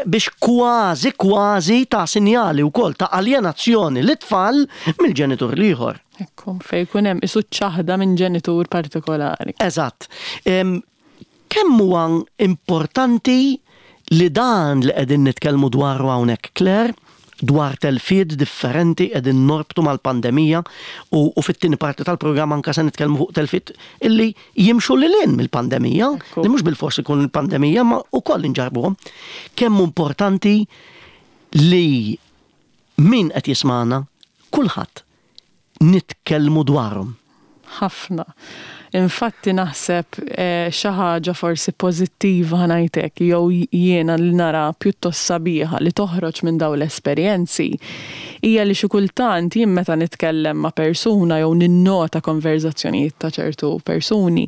biex kważi kważi ta' sinjali wkoll ta' aljenazzjoni lit-tfal mill-ġenitur l-ieħor. Ekku, fejn jkun hemm isu ċaħda minn ġenitur partikolari. Eżatt. Kemm huwa importanti li dan li qegħdin nitkellmu dwaru hawnhekk, Claire, dwar telfiet differenti qegħdin norbtu mal-pandemija u, u fit-tieni parti tal-programm anka se nitkellmu fuq telfiet illi jimxu lil hinn mill-pandemija, li mhux bilfors ikun il-pandemija ma wkoll inġarbuhom. Kemm importanti li min qed jismagħna kulħadd nitkellmu dwarhom. Ħafna. Infatti naħseb xi ħaġa forsi pożittiva, ħa ngħidlek, jew jiena li nara pjuttost sabiħa li toħroġ minn dawn l-esperjenzi hija li xi kultant jien meta nitkellem ma' persuna jew ninnota konverzazzjonijiet ta' ċertu persuni,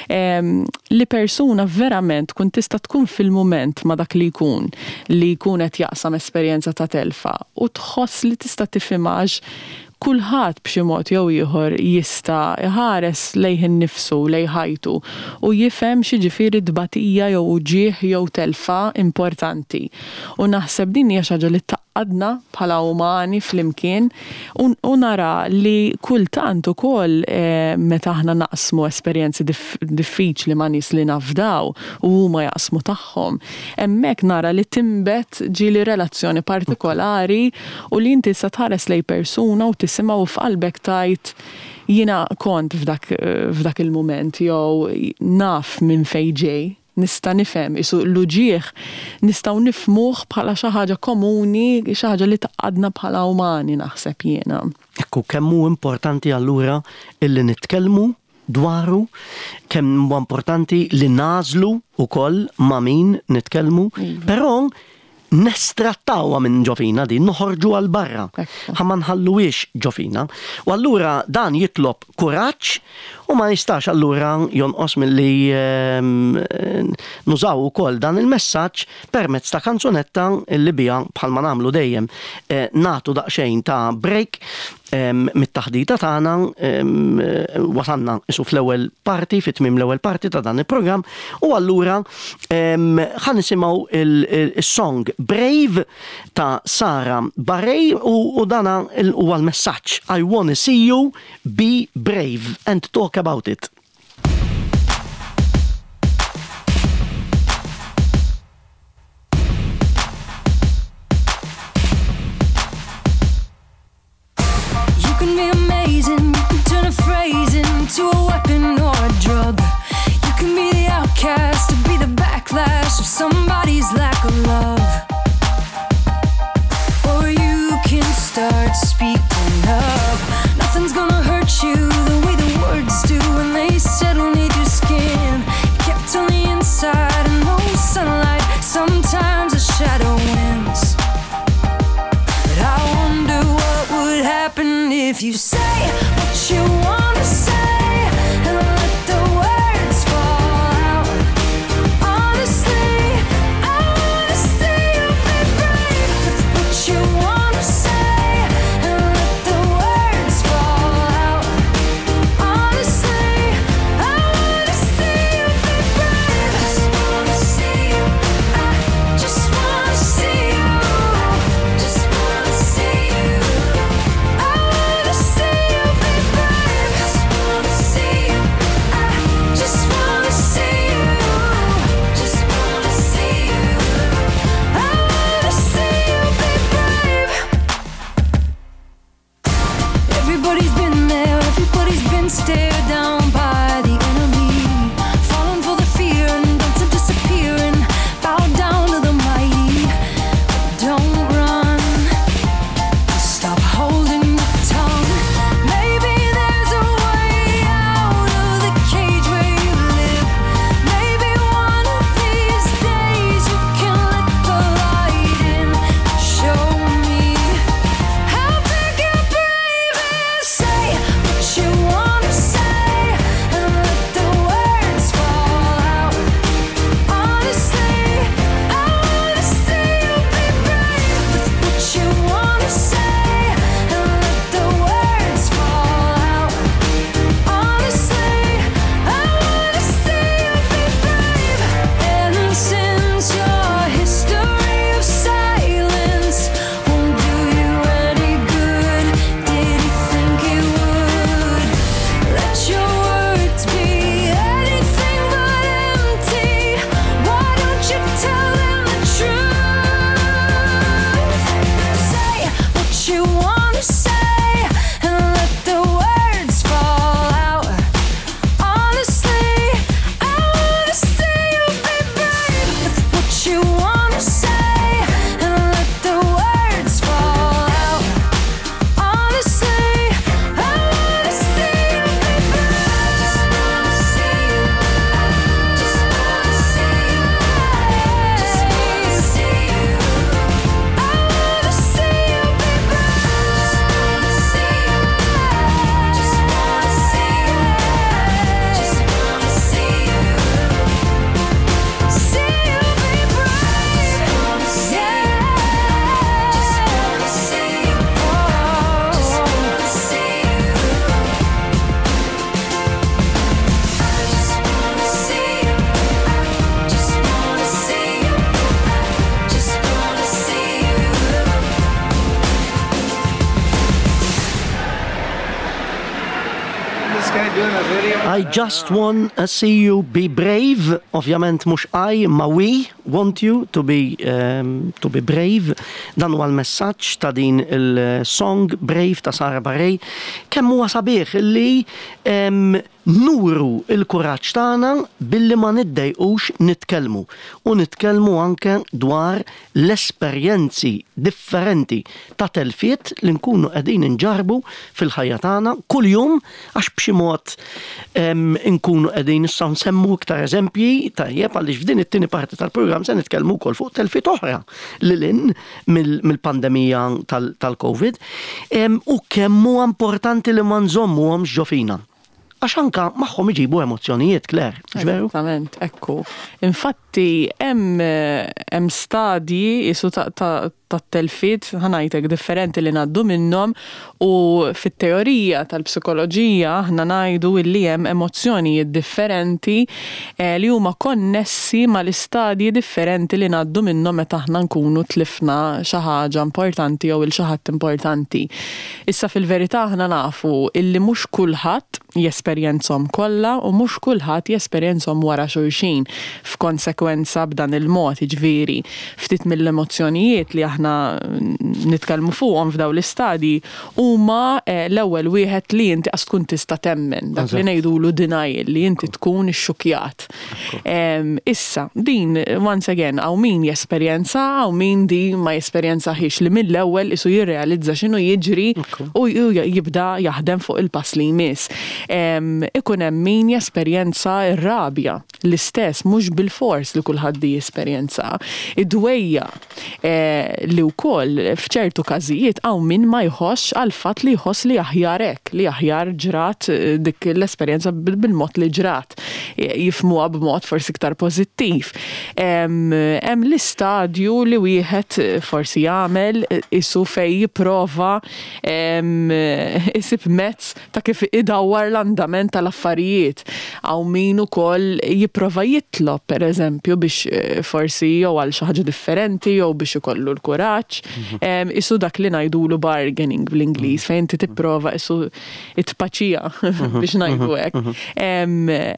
li persuna verament tkun tista' tkun fil-mument ma' dak li jkun, li jkun qed jaqsam esperjenza ta' telfa u tħoss li tista' tifhimha għax kulħadd b'xi mod jew ieħor jista' iħares lejh innifsu, lejn ħajtu u jifhem x'jiġifieri tbatija jew uġigħ jew telfa importanti. U naħseb din hija xi ħaġa li tgħaqqadna bħala umani flimkien u nara li kultant ukoll meta aħna naqsmu esperjenzi diffiċli ma' nies li nafdaw u huma jaqsmu tagħhom, hemmhekk nara li tinbet ġieli relazzjoni partikolari u li inti sa tħares lejn persuna u tisimgħu f'qalbek tajt jiena kont f'dak, f'dak il-mument jew naf minn fejn ġej, nista' nifhem isu l-uġigħ nistgħu nifhmuh bħala xi ħaġa komuni, xi ħaġa li tgħaqqadna bħala umani, naħseb jiena. Ekku, kemm hu importanti allura illi nitkellmu dwaru, kemm huwa importanti li nagħżlu wkoll ma' min nitkellmu, però nestrattawha minn ġo fina din, noħorġu għal barra. Ħa ma nħalluhiex ġo fina. U allura dan jitlob kuraġġ u ma jistax allura jonqos milli nużaw ukoll dan il-messaġġ permezz ta' kanzunetta li biha bħalma nagħmlu dejjem nagħtu daqsxejn ta' break. Mit-taħdita tagħna wasalna isu fl-ewwel parti, fit-tmiem l-ewwel parti ta' dan il-programm, u allura ħa nisimgħu il-song Brave ta' Sara Bareilles, u dana huwa l-messaġġ: "I wanna see you be brave and talk about it." You can be amazing, you can turn a phrase into a weapon or a drug. You can be the outcast, to be the backlash of somebody's lack of love. Or you can start speaking up. Nothing's gonna hurt you the way the words do when they settle neath your skin. Kept on the inside and no sunlight, sometimes a shadow wins. But I wonder what would happen if you say what you wanna say and let the words fall out. Honestly, I wanna see you be brave with what you wanna say and let the words fall out. Honestly, I wanna see you be brave. I just wanna see you. I just wanna see you. Just wanna see you. I wanna see you be brave. Just wanna see you. I just wanna see you. Just wanna see you. I wanna see you be brave. Everybody's been there, everybody's been stared down by the enemy. Falling for the fear and dancing, disappearing. Bow down to the mighty. But don't run. Stop holding your tongue. Maybe there's a way out of the cage where you live. Maybe one of these days you can let the light in. Show me how big your brave is. Say what you wanna say and let the words fall out. Honestly, I wanna see you be brave with what you wanna say and let the words fall out. Honestly, I wanna see you be brave. And since your history of silence won't do you any good, did you think it would? Let your words be anything but empty. Why don't you tell them the truth? Say what you wanna say and let the words fall out. Honestly, I wanna see you be brave with what you wanna say and let the words fall out. Honestly, I wanna see you be brave. I just wanna see you. Just wanna see you. Just wanna see you. I wanna see you be brave. Just wanna see you. Just wanna see you. Just wanna see you. See you be brave. Just wanna see you. Just wanna see you. Just wanna see you. I just wanna see you. I just wanna see you. I just wanna see you. This guy doing a video. "I just want to see you be brave." Ovvjament mhux I, ma we want you to be, um, to be brave. Dan huwa l-messaġġ ta' din il-song Brave ta' Sara Bareilles. Kemm huwa sabiħ li um, nuru il-kuraġġ tagħna billi ma niddejqux nitkellmu. U nitkellmu anke dwar l-esperjenzi differenti ta' telfiet li nkunu qegħdin inġarbu fil-ħajja tagħna kuljum, għax b'xi mod em, nkunu qegħdin issa nsemmu iktar eżempji, tajjeb, għaliex f'din it-tieni parti tal-programm se nitkellmu wkoll fuq telfiet oħra lil hinn mill-pandemija tal-Covid. Em, u kemm huwa importanti li ma nżommuhomx ġo fina. Għax Għax anka magħhom iġibu emozzjonijiet, Claire, veru? Esattament, ekku. Infatti, hemm hemm stadji isu ta' ta' ta' telfiet, ħa ngħidlek, differenti li ngħaddu minnhom u fit-teorija tal-psikoloġija aħna ngħidu illi hemm emozzjonijiet differenti eh, li huma konnessi mal-istadji differenti li ngħaddu minnhom meta aħna nkunu tlifna xi ħaġa importanti jew il xi ħadd importanti. Issa fil-verità aħna nafu illi mhux kulħadd jesperjenzhom kollha u mhux kulħadd jesperjenzhom wara xulxin f'konsekwenza b'dan il-mod, jiġifieri ftit mill-emozzjonijiet li aħna nitkellmu fuqhom f'daw l-istadji huma eh, l-ewwel wieħed li inti qas tkun tista' temmen, dak li ngħidulu denial, li inti tkun ixxukjat. Em, Issa, din, once again, hawn min jesperjenza, hawn min di ma jesperjenzahiex, li mill-ewwel isu jirrealizza x'inhu jiġri u u jibda jaħdem fuq il-pass li jmiss. Em, Ikun hemm min jesperjenza r-rabja, l-istess, mhux bil-fors li kulħadd di jesperjenza. Id-dwejjaq eh, li wkoll f'ċertu każijiet hawn min ma jħossx għal fatt li jħoss li aħjar hekk, li aħjar ġrat eh, dik l-esperjenza bil- bil-mod li ġrat. Jifhmuha b'mod forsi iktar pożittiv. Hemm hemm l-istadju li wieħed eh, forsi jagħmel eh, isu fej jipprova em, isib mezz ta' kif idawwar l-andament tal-affarijiet. Hawn min ukoll jipprova jitlob, per eżempju, biex eh, forsi jew għal xi ħaġa differenti jew biex ikollu l-kuraġġ. Em, Isu dak li ngħidulu bargaining bl-Ingliż, fejn inti tipprova isu it-paċija biex ngħidu hekk. Em,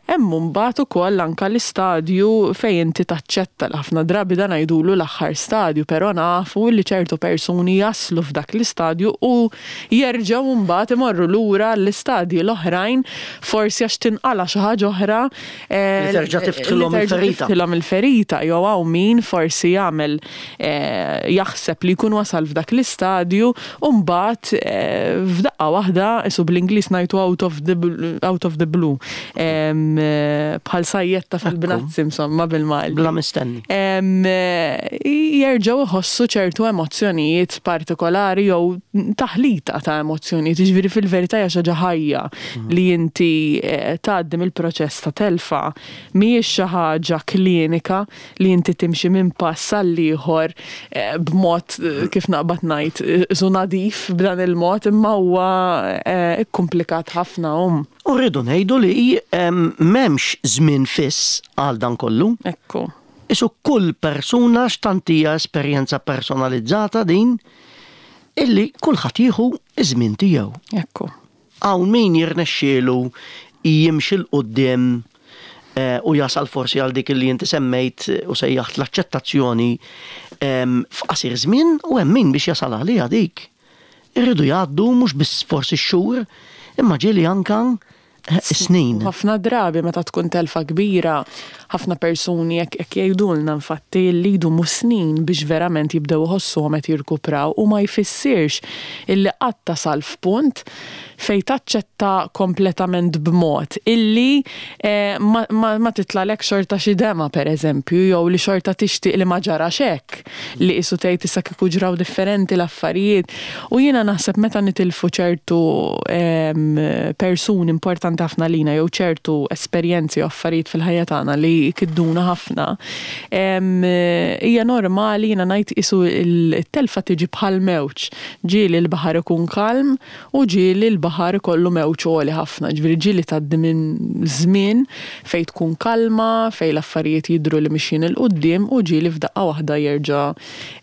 Hemm mbagħad ukoll anka l-istadju fejn inti taċċetta, l ħafna drabi dan ngħidulu l-aħħar stadju, però nafu li ċertu persuni jaslu f'dak l-istadju u jerġgħu mbagħad imorru lura l-istadji l-oħrajn, forsi għax tinqala xi ħaġa oħra eh, Li terġa' tiftħilhom li terġa' il-ferita. tiftħilhom il-ferita, jew hawn min forsi jagħmel eh, jaħseb li jkun wasal f'dak l-istadju u mbagħad eh, f'daqqa waħda, isu bl-Ingliż ngħidu out of the bl- out of the blue, Em, eh, bħal sajjetta fil-bnazzi, insomma, bil-Malti. Bla mistenni. Em, eh, jerġgħu jħossu ċertu emozzjonijiet partikolari jew taħlita ta' emozzjonijiet, jiġifieri fil-verità hija xi ħaġa ħajja li inti eh, tgħaddi mill-proċess ta' telfa, mhijiex xi ħaġa klinika li inti timxi minn pass għal ieħor eh, b'mod eh, kif naqbad ngħid eh, su nadif b'dan il-mod, imma huwa eh, ikkomplikat ħafna um. U rridu ngħidu li em, m'hemmx żmien fiss għal dan kollu. Ekku. Isu kull persuna x'tantija esperjenza personalizzata din illi kulħadd jieħu iż-żmien tiegħu. Ekku. Hawn min jirnexxielu jimxi 'l quddiem eh, u jasal forsi għal dik li inti semmejt u sejjaħt l-aċċettazzjoni em, f'qasir żmien u hemm min biex jasal għaliha dik. Irridu jgħaddu mhux biss forsi xhur, imma ġieli anka eh, snin. Ħafna drabi meta tkun telfa kbira, ħafna persuni jekk jekk jgħidulna infatti li jdumu snin biex verament jibdew iħossuhom qed jirkupraw, u ma jfissirx illi qatt tasal f'punt fej taċċetta kompletament b'mod illi eh, ma, ma, ma titlalek xorta xi dema, per eżempju, jew li xorta tixtieq li ma ġarax hekk, li qisu tgħid issa kieku ġraw differenti l-affarijiet. U jiena naħseb meta nitilfu ċertu em, persuni importanti ħafna lina jew ċertu esperjenzi u affarijiet fil-ħajja tagħna li jkidduna ħafna, em, hija normali, jiena ngħid isu il-telfa tiġi bħal mewġ. Ġieli l-baħar ikun kalm u ġieli l-baħar ikollu mewġ għoli ħafna. Ġifieri ġieli tgħaddi minn żmien fejn tkun kalma, fejn l-affarijiet jidhru li mixjin 'il quddiem, u ġieli f'daqqa waħda jerġa'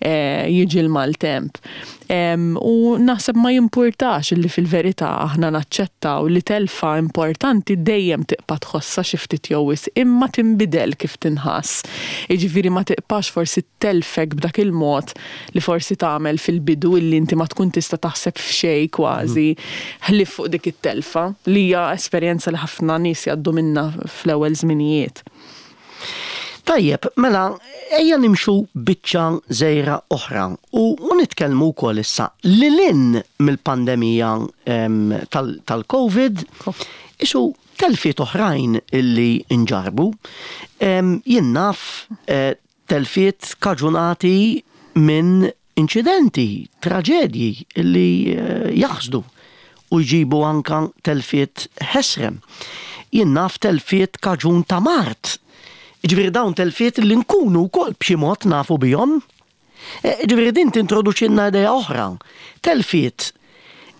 eh, jiġi l-maltemp. Em, U naħseb ma jimpurtax li fil-verità aħna naċċettaw li telfa importanti dejjem tibqa' tħossha xi ftit jew wisq, imma tinbidel kif tinħass. Jiġifieri ma tibqax forsi telfek b'dak il-mod li forsi tagħmel fil-bidu, illi inti ma tkun tista' taħseb f'xejn kważi ħlief fuq dik it-telfa, li hija esperjenza li ħafna nies jgħaddu minna fl-ewwel żminijiet. Tajjeb, mela, ejja nimxu biċċa żgħira oħra u u nitkellmu wkoll issa lil hinn mill-pandemija em, tal- tal-Covid, isu telfiet oħrajn illi nġarbu. Em, Jien naf eh, telfiet kaġunati minn inċidenti, traġedji illi eh, jaħsdu. u jġibu anka telfiet ħesrem. Jien naf telfiet kaġun ta' mard. Ġifieri dawn telfiet li nkunu wkoll b'xi mod nafu bihom. E, ġifieri din tintroduċilna idea oħra. Telfiet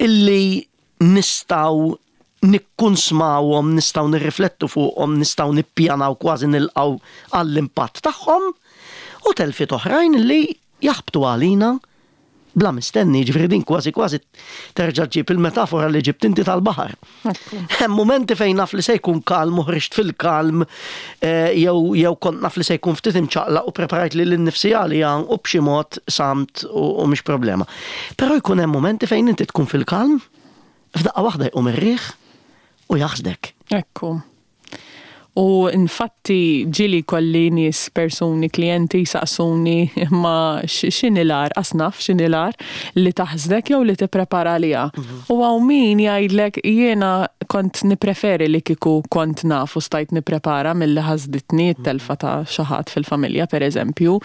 illi nistgħu nikkunsmawhom, nistgħu nirriflettu fuqhom, nistgħu nippjanaw, kważi nilqgħu għall-impatt tagħhom, u telfiet oħrajn li jaħbtu għalina bla mistenni. Ġifieri din kważi kważi terġa' ġib il-metafora li ġibt inti tal-baħar. Hemm momenti fejn naf li se jkun kalm u ħriġt fil-kalm, eh, jew jew kont naf li se jkun ftit imċaqlaq u preparajt lili nnifsi għalija u b'xi mod samt u, u mhix problema. Però jkun hemm momenti fejn inti tkun fil-kalm, f'daqqa waħda jqum ir-riħ u jaħsdek. Ekku. U infatti ġieli kelli nies, persuni, klienti saqsuni ma x'inhi l-agħar, asnaf x'inhi l-agħar, li taħsdek jew li tipprepara għaliha? U hawn min jgħidlek, "Jiena kont nipreferi li kiku kont naf u stajt niprepara milli ħasditni t-telfa ta' xi ħadd fil-familja", per eżempju.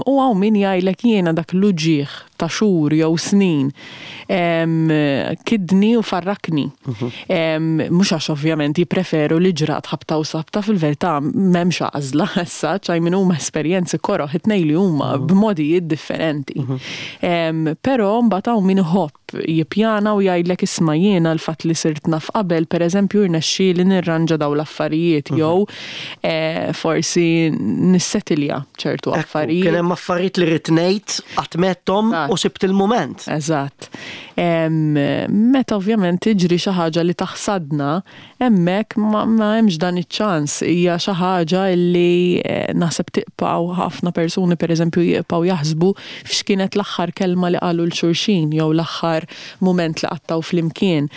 U hawn min jgħidlek, "Jiena dak l-uġigħ ta' xhur jew snin kidni u farrakni." Mhux għax ovvjament jippreferu li ġrat ħabta u sabta, fil-verità m'hemmx għażla issa, ċaj minn huma esperjenzi koroh it-tnejn li huma b'modijiet differenti. Però mbagħad hawn min iħobb jippjana u jgħidlek, "Isma', jiena l-fatt li sirt naf qabel, pereżempju, rnexxieli nirranġa daw l-affarijiet jew eh, forsi nissetilja ċertu affarijiet." Kien hemm affarijiet li rrid ngħid, qatt m'għedthom u sibt il-mument. Eżatt. Meta ovvjament tiġri xi ħaġa li taħsadna, hemmhekk ma hemmx dan iċ-ċans. Hija xi ħaġa li eh, naħseb tibqgħu ħafna persuni, pereżempju, jibqgħu jaħsbu f'x'kienet l-aħħar kelma li qalu 'l xulxin jew l-aħħar mument li qattgħu flimkien.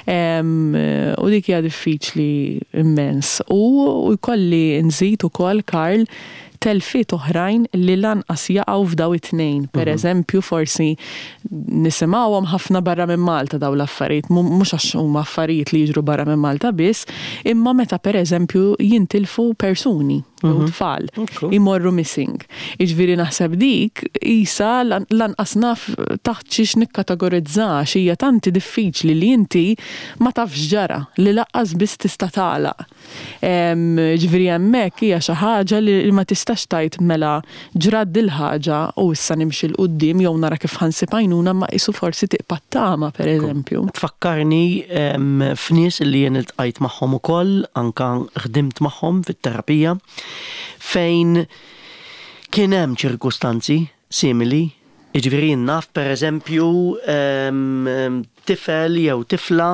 U dik hija diffiċli immens. U jkolli nżid ukoll, Karl, telfiet oħrajn li lanqas jaqgħu f'daw it-tnejn. Per mhm. eżempju, forsi nisimgħuhom ħafna barra minn Malta daw l-affarijiet, mhux għax huma affarijiet li jiġru barra minn Malta biss, imma meta per eżempju jintilfu persuni jew mhm. tfal imorru missing. Iġifieri naħseb dik isa lanqas naf taħt xiex nikkategorizza, hija tanti diffiċli li inti ma tafx ġara li lanqas biss tista' tagħlaq. Ġifieri hemmhekk hija xi ħaġa li ma tistax tgħid, "Mela ġrat dil-ħaġa u issa nimxi 'l quddiem jew nara kif ħa nsib għajnuna", ma isu forsi tibqa' tama, per eżempju. Tfakkarni f'nies li jien iltqajt magħhom ukoll, anka ħdimt magħhom fit-terapija, fejn kien hemm ċirkustanzi simili. Jiġifieri naf, per eżempju, tifel jew tifla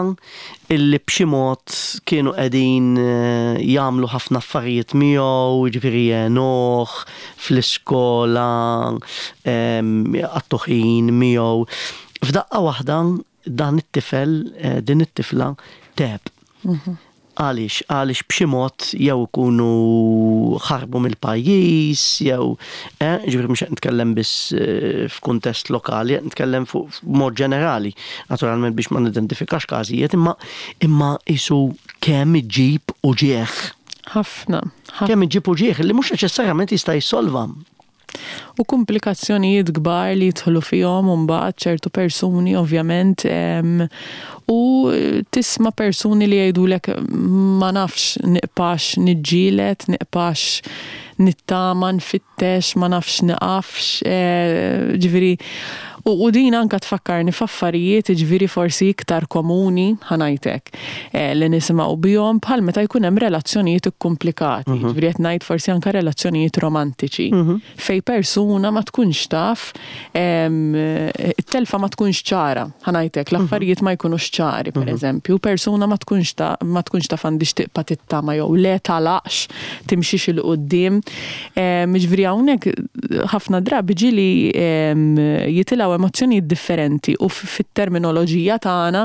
illi b'xi mod kienu qegħdin eh, jagħmlu ħafna affarijiet miegħu, jiġifieri jgħinuh fl-iskola, jqattgħu ħin miegħu. F'daqqa waħda dan it-tifel, eh, din it-tifla tgħeb. Mhm. Għaliex? Għaliex b'xi mod jew ikunu ħarbu mill-pajjiż, jew eh, ġifieri mhux qed nitkellem biss eh, f'kuntest lokali, qed nitkellem fuq mod ġenerali, naturalment biex ma nidentifikax każijiet, imma imma isu kemm iġib uġigħ. Ħafna. Kemm iġib uġigħ li mhux neċessarjament jista' jissolva. U komplikazzjonijiet kbar li jidħlu fihom mbagħad ċertu persuni ovvjament, u tisma' persuni li jgħidulek, "Ma nafx nibqax niġġieled, nibqax nittama, nfittex, ma nafx niqafx", eh, ġifieri U, u din anka tfakkarni f'affarijiet, ġifieri forsi iktar komuni, ħa ngħidlek, eh, li nisimgħu bihom, bħal meta jkun hemm relazzjonijiet ikkumplikati, mm -hmm. ġifieri qed ngħid forsi anka relazzjonijiet romantiċi, mm -hmm. fej persuna ma tkunx taf, it-telfa ma tkunx ċara, ħa ngħidlek, l-affarijiet ma jkunux ċari, per mhm. eżempju, persuna ma tkunx ta' ma tkunx taf għandix tibqa' tittama jew le, tagħlaqx, timxix 'il quddiem. Ġifieri hawnhekk ħafna drabi ġieli jitilgħu emozzjonijiet differenti u fit-terminoloġija tagħna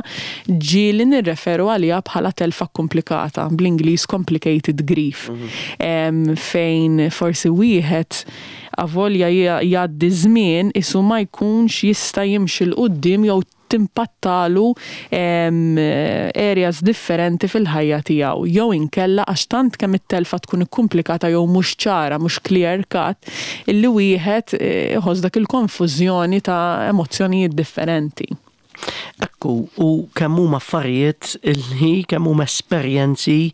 ġieli nirreferu għaliha bħala telfa komplikata, bl-Ingliż complicated grief. Mhm. Fejn forsi wieħed avolja jgħaddi żmien isu ma jkunx jista' jimxi 'l quddiem jew timpattalu areas differenti fil-ħajja tiegħu jew inkella għax tant kemm it-telfa tkun ikkumplikata jew mhux ċara, mhux clear cut, illi wieħed eh, iħoss dak il-konfużjoni ta' emozzjonijiet differenti. Ekku, u kemm huma affarijiet illi kemm huma esperjenzi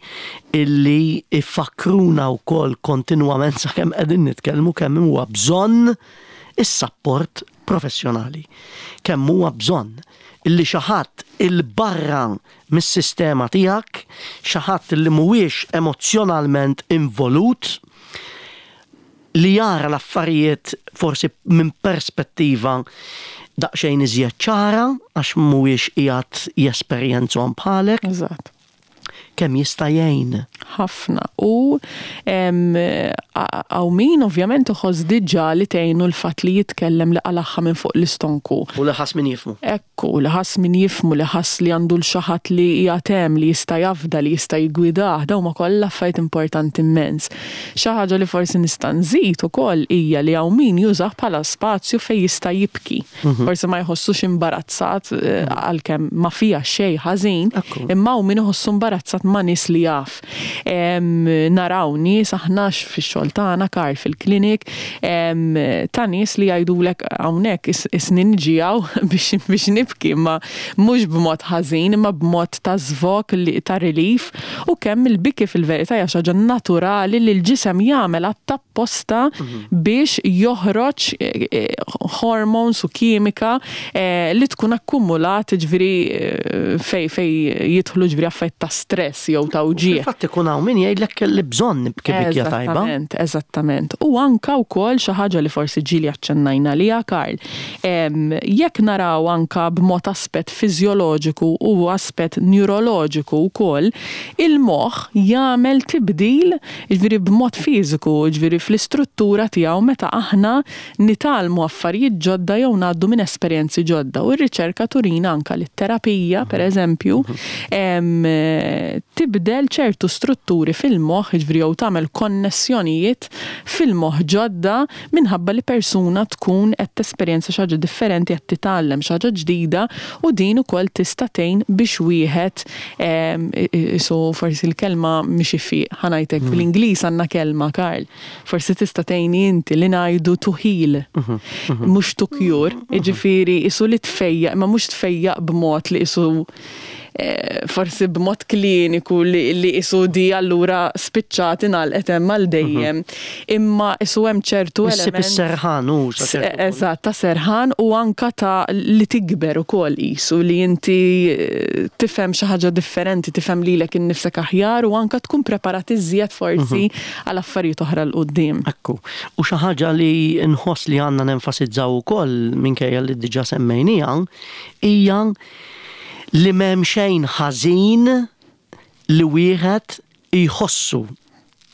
illi ifakruna wkoll kontinwament sakemm qegħdin nitkellmu kemm huwa bżonn is-sapport professjonali. Kemm huwa bżonn illi xi ħadd 'il barra mis-sistema tiegħek, xi ħadd illi mhuwiex emozzjonalment involut, li jara l-affarijiet forsi minn perspettiva daqsxejn iżjed ċara għax mhuwiex qiegħed jesperjenzhom bħalek, Eżatt. kemm jista' jgħin. Ħafna. U hawn min ovvjament iħoss diġà li tgħinu l-fatt li jitkellem, li qalagħha minn fuq l-istonku. U li ħass min jifhmu. Ekku, li ħass min jifhmu, li ħass li għandu 'l xi ħadd li jgħatem, li jista' jafda, li jista' jgwidah, dawn huma kollha affarijiet importanti immens. Xi ħaġa li forsi nista' nżid ukoll hija li hawn min jużah bħala spazju fejn jista' jibki. Forsi ma jħossux imbarazzat eh, għalkemm ma fiha xejn ħażin, Ekku. imma hawn min iħossu imbarazzat ma' nies li jaf. Em, naraw nies aħna fix-xogħol tagħna, Karl, fil-klinik, em, ta' nies li jgħidulek hawnhekk is- is-snin ġijaw biex biex nibki, imma mhux b'mod ħażin, imma b'mod ta' żvog li ta' relief, u kemm il-biki fil-verità hija xi ħaġa naturali li l-ġisem jagħmel apposta biex joħroġ eh, eh, hormones u kimika eh, li tkun akkumulat, ġifieri eh, fej fej jidħlu ġifieri affarijiet ta' stress jew ta' uġigħ. Fil-fatt ikun hawn min jgħidlek li bżonn nibki bikja tajba. Eżattament, eżattament. U anka wkoll xi ħaġa li forsi ġieli aċċennajna liha, Karl. Em, Jekk naraw anka b'mod aspett fiżjoloġiku u aspett neuroloġiku wkoll, il-moħħ jagħmel tibdil, ġifieri b'mod fiżiku, ġifieri fl-istruttura tiegħu meta aħna nitgħallmu affarijiet ġodda jew ngħaddu minn esperjenzi ġodda. U r-riċerka turina anka li t-terapija, per eżempju, em, tibdel ċertu strutturi fil-moħħ, ġifieri jew tagħmel konnessjonijiet fil-moħħ ġodda minħabba li persuna tkun qed tesperjenza xi ħaġa differenti, qed titgħallem xi ħaġa ġdida, u din ukoll tista' tgħin biex wieħed em, isu forsi l-kelma mhix ifiq, ħa ngħidlek, fl-Ingliż għandna kelma, Karl. Forsi tista' tgħinni inti, li ngħidu to heal, mhux to cure, jiġifieri isu li tfejjaq, imma mhux tfejjaq b'mod li isu eh, forsi b'mod kliniku li, li isu di allura spiċċat, ingħalqet hemm għal dejjem. Imma isu hemm ċertu Issib element is-serħan u sa ċertu punt. Eżatt, ta' serħan u anka ta' li tikber ukoll isu li inti eh, tifhem xi ħaġa differenti, tifhem lilek innifsek aħjar u anka tkun preparat iżjed forsi għal affarijiet oħra 'l quddiem. Ekku. U xi ħaġa li nħoss li għandna nenfasizzaw ukoll, minkejja li diġà semmejnija, hija li m'hemm xejn ħażin li wieħed jħossu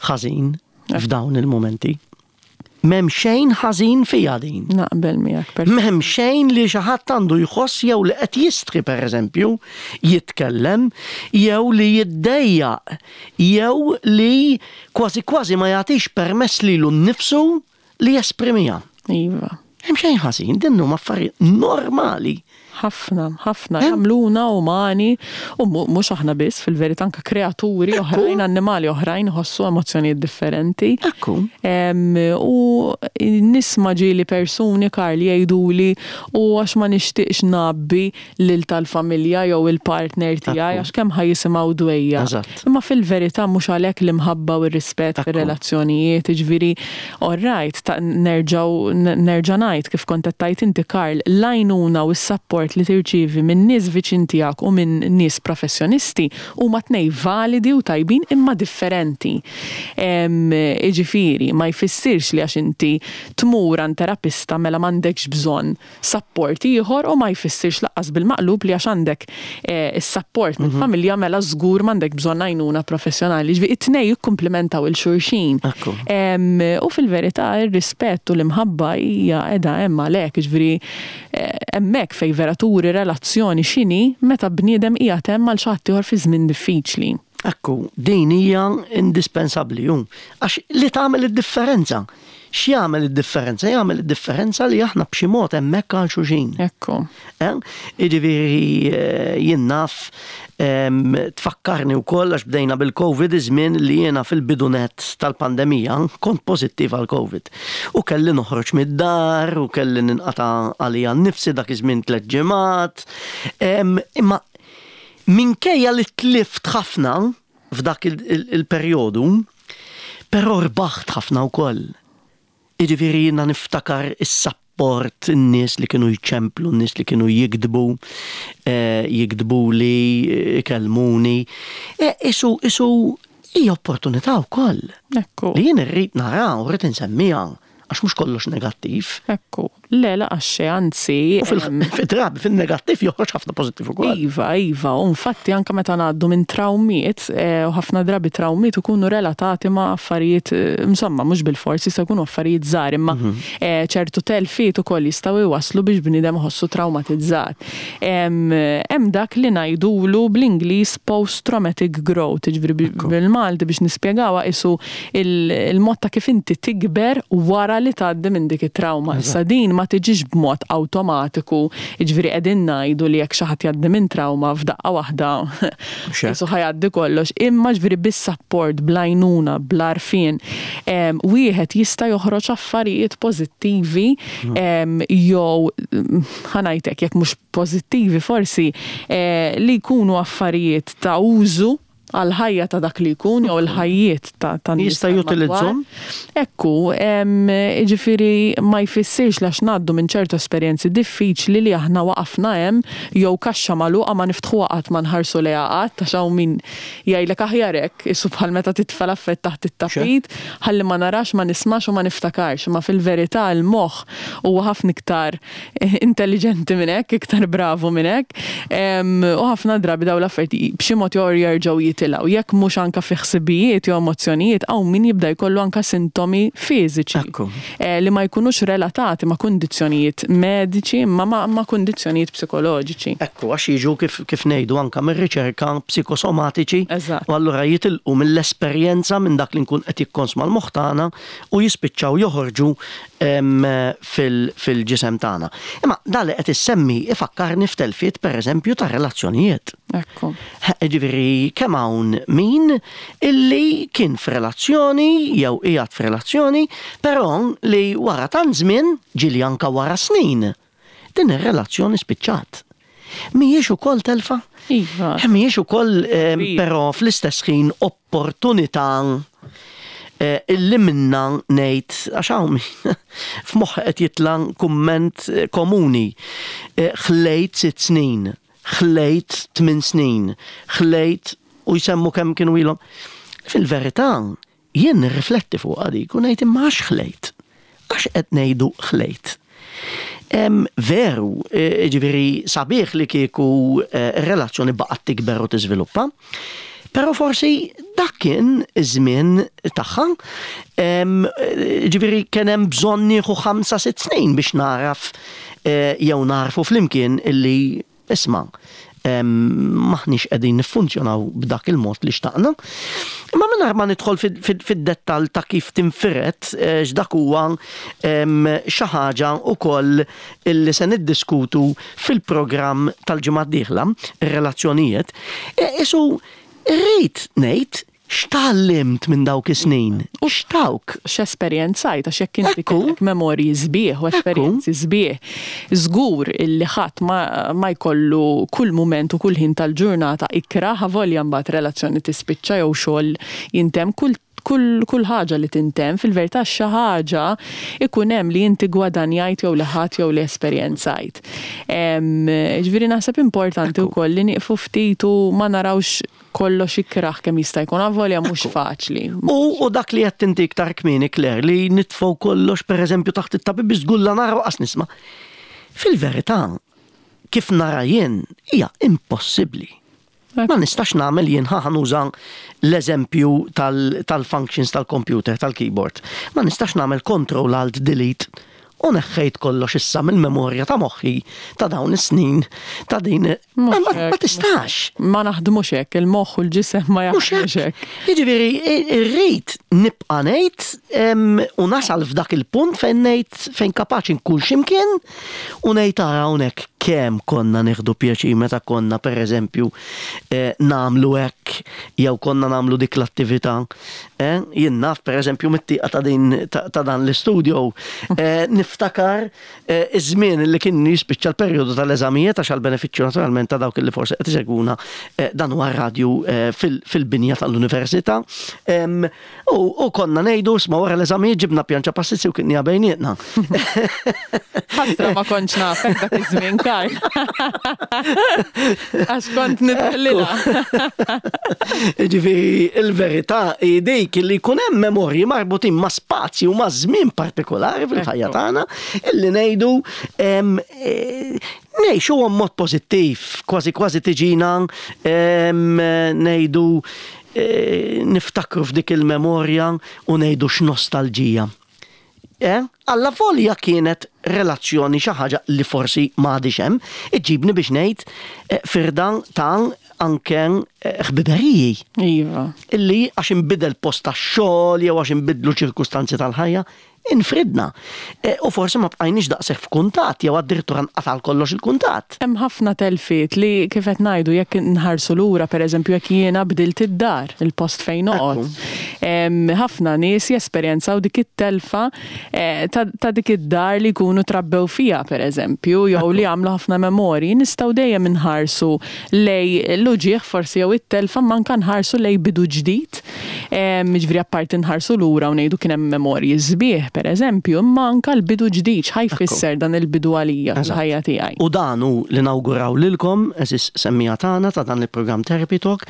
ħażin f'dawn il-momenti. M'hemm xejn ħażin fija din. Naqbel miegħek per M'hemm xejn li xi ħadd għandu jħoss jew li qed jistħi, pereżempju, jitkellem, jew li jiddejjaq, jew li kważi kważi ma jagħtix permess lilu nnifsu li jesprimiha. Iva. Hemm xejn ħażin, din huma affarijiet normali. Ħafna, ħafna, jagħmluna umani u mu- mhux aħna biss, fil-verità anka kreaturi oħrajn, annimali oħrajn iħossu emozzjonijiet differenti. Ekku. Em, u nisma' ġieli persuni, Karl, jgħiduli u għax ma nixtieqx ngħabbi lil tal-familja jew il-partner tiegħi Ekku. għax kemm ħa jisimgħu dwejjaq. Eżatt. Imma fil-verità mhux għalhekk l-imħabba u r-rispett Ekku. fir-relazzjonijiet, ġifieri all right, ta' nerġgħu nerġa' ngħid kif kont qed tgħid inti, Karl, l-għajnuna u s-support li tirċievi minn nies viċin tiegħek u minn nies professjonisti huma tnej validi u tajbin imma differenti. Em, Iġifieri, ma jfissirx li għax inti tmur għand terapista mela m'għandekx bżonn support ieħor u ma jfissirx lanqas bil-maqlub li għax għandek eh, is-support mill-familja mela żgur m'għandek bżonn għajnuna professjonali. Ġifieri it-tnej jikkumplementaw 'il xulxin. Ekku. Em, U fil-verità ir-rispett u l-imħabba hija qiegħda hemm għalhekk, ġifieri eh, hemmhekk fej vera turi relazzjoni x'inhi meta bniedem qiegħed hemm għal xi ħadd ieħor fi żmien diffiċli. Ekku, din hija indispensabbli ju. Għax li tagħmel id-differenza. X'jagħmel id-differenza? Jagħmel id-differenza li aħna b'xi mod hemmhekk għal xulxin. Ekku. Eh? Jiġifieri eh, jien naf em, tfakkarni wkoll għax bdejna bil-Covid, iż-żmien li jiena fil-bidunet tal-pandemija kont pożittiv għal Covid. U kelli noħroġ mid-dar u kelli ninqata' għalija nnifsi dak iż-żmien tliet ġimgħat. Em, Imma minkejja li tlift ħafna f'dak il- il- il-perjodu, però rbaħt ħafna wkoll. Jiġifieri jiena niftakar is-support, in-nies li kienu jċemplu, n-nies li kienu jiktbu, eh, jiktbu li ikellmuni. Eh, Isu, isu, hija opportunità wkoll. Ekku. Li jien irrid nara u rrid insemmiha, għax mhux kollox negattiv. Ekku. Le, la għaxxe, anzi. U em, fil-drabi, fil-negattiv joħroġ ħafna pożittiv ukoll. Iva, iva, u infatti anka meta ngħaddu minn trawmiet, eh, u ħafna drabi trawmiet ikunu relatati ma' affarijiet, eh, insomma, mhux bil-forsi jistgħu jkunu affarijiet żgħar, imma eh, ċertu telfiet ukoll jistgħu jwaslu biex bniedem iħossu traumatizzat. Em, Hemm dak li ngħidulu bl-Ingliż post-traumatic growth, jiġifieri bi- bil-Malti biex nispjegawha isu il- il-mod ta' kif inti tikber wara li tgħaddi minn dik it-trauma. Issa din ma tiġix b'mod awtomatiku, jiġifieri qegħdin ngħidu li jekk xi ħadd jgħaddi minn trauma f'daqqa waħda hekk. isu ħa jgħaddi kollox, imma ġifieri bis-support, bl-għajnuna, bl-għarfien, em, wieħed jista' joħroġ affarijiet pożittivi em, jew mm, ħa ngħidlek jekk mhux pożittivi forsi eh, li jkunu affarijiet ta' użu għal-ħajja ta' dak li jkun jew il-ħajjiet ta' ta' nies Jista' tal-madwar. jutilizzhom? Ekku, em, ġifieri ma jfissirx għax ngħaddu minn ċertu esperjenzi diffiċli li aħna waqafna hemm jew kaxxa magħluqa ma niftħuha qatt, ma nħarsu lejha qatt, għax hawn min jgħidlek aħjar hekk, isu bħal meta titfa' l-affett taħt it-tapit, ħalli ma narax, ma nismax u ma niftakarx. Ma fil-verità il-moħħ huwa ħafna iktar eh, intelligenti minn hekk, iktar bravu minn hekk. Em, U ħafna drabi daw l-affarijiet b'xi mod jew jerġgħu jitilgħu. Jekk mhux anka fi ħsibijiet jew emozzjonijiet, hawn min jibda jkollu anka sintomi fiżiċi. Ekku. Eh, li ma jkunux relatati ma' kundizzjonijiet mediċi, ma ma, ma kundizzjonijiet psikoloġiċi. Ekku, għax jiġu kif, kif ngħidu anka mir-riċerka psikosomatiċi. Eżatt. U allura jitilqu mill-esperjenza, minn dak li nkun qed jikkonsma l-moħħ tagħna u jispiċċaw joħorġu em, fil- fil-ġisem tagħna. Imma dak li qed issemmi ifakkarni f'telfiet, pereżempju, ta' relazzjonijiet. Ekku. Ġifieri kemm hawn min illi kien f'relazzjoni jew qiegħed f'relazzjoni, però li wara tant żmien, ġieli anka wara snin, din ir-relazzjoni spiċċat. Mhijiex ukoll telfa? Iva. Mhijiex ukoll eh, Iva. però fl-istess ħin opportunità eh, illi minna ngħid, għax hawn min f'moħħ qed jitla' kumment eh, komuni. Eh, Ħlejt sitt snin, ħlejt tmien snin, ħlejt, u jsemmu kemm kienu ilhom. Fil-verità, jien nirrifletti fuq dik u ngħid, imma għax ħlejt? Għax qed ngħidu ħlejt? Em, veru, eh, ġifieri sabiħ li kieku eh, relazzjoni baqgħet tikber u tiżviluppa, però forsi dak kien iż-żmien tagħha. Em, eh, Ġifieri kien hemm bżonn nieħu ħamsa sitt snin biex naraf eh, jew narfu flimkien illi isma' em, maħniex qegħdin niffunzjonaw b'dak il-mod li xtaqna. Imma mingħajr ma nidħol fid-dettall ta' kif tinfiret, eh, x'dak huwa em, xi ħaġa wkoll illi se niddiskutu fil-programm tal-ġimgħa d-dieħla, ir-relazzjonijiet. E, Isu rrid ngħid x'tgħallimt minn dawk is-snin? U x'tawk? X'esperjenzajt, għax jekk inti Ekku. kellek memorji sbieħ u esperjenzi sbieħ, żgur illi ħadd ma, ma jkollu kull mument u kull ħin tal-ġurnata ikrah, avolja mbagħad relazzjoni tispiċċa jew xogħol jintemm, kull kull, kull ħaġa li tintemm, fil-verità xi ħaġa ikun hemm li inti gwadanjajt jew li ħadd jew li esperjenzajt. Em, Ġifieri naħseb importanti wkoll li nieqfu ftit u ma narawx kollox ikraħ kemm jista' jkun, avolja mhux faċli. U, u dak li qed inti iktar kmieni, Claire, li nitfgħu kollox pereżempju taħt it-tapit biex żgur la nara qas nisma'. Fil-verità, kif nara jien, hija impossibbli. Ma nistax nagħmel jien, ħa nuża l-eżempju tal-functions tal-computer, tal-keyboard. Ma nistax nagħmel control alt delete U neħħejt kollox issa mill-memorja ta' moħħi ta' dawn is-snin ta' din ma, ma, ma tistax. Ma naħdmux hekk, il-moħħ u l-ġisem ma jaħdmux hekk. Jiġifieri irrid nibqa' ngħid u nasal f'dak il-punt fejn ngħid fejn kapaċi nkun x'imkien u ngħid ara hawnhekk kemm konna nieħdu pjaċir meta konna pereżempju eh, nagħmlu hekk jew konna nagħmlu dik l-attività. Eh, jien naf pereżempju mit-tieqa ta' din ta' dan l-istudio eh, niftakar eh, iż-żmien li kien jispiċċa l-perjodu tal-eżamijiet għax għall-benefiċċju naturalment ta' dawk li forsi qed isegwuna eh, dan huwa radju eh, fil-binja tal-università. U konna ngħidu isma' wara l-eżamijiet ġibna pjanċa pastizzi u kilnieha bejnietna. Ħasra ma kontx nafek dak iż-żmien Karl. Għax kont nitħallilha. Ġifieri il-verità hi dik li jkun hemm memorji marbutin ma' spazju ma' żmien partikolari fil-ħajja tagħna illi ngħidu ngħixu mod pożittiv, kważi kważi tiġina ngħidu niftakru f'dik il-memorja u ngħidu x'nostalġija. Alla volja kienet relazzjoni xi ħaġa li forsi m'għadix hemm, iġibni biex ngħid firda ta' anke ħbiberiji. Iva. Illi għax inbidel post tax-xogħol jew għax inbidlu ċirkustanzi tal-ħajja, infridna. U forsi ma bqajniex daqshekk f'kuntatt jew addirittura nqatal kollox il-kuntatt. Hemm ħafna telfiet li kif qed ngħidu jekk nħarsu lura pereżempju jekk jiena bdilt id-dar, il-post fejn noqgħod. Ħafna nies jesperjenzaw dik it-telfa ta' dik id-dar li jkunu trabbew fiha pereżempju jew li għamlu ħafna memorji, nistgħu dejjem inħarsu lej l-uġigħ forsi jew it-telfa manka nħarsu lej bidu ġdid. Jiġifieri apparti nħarsu lura u ngħidu kien hemm memorji sbieħ per eżempju, imma anka l-bidu ġdid, x'ħa jfisser dan il-bidu għalija fil-ħajja tiegħi. U dan hu li nawguraw lilkom, għeżież semmiegħa tagħna ta' dan il-programm Therapy Talk,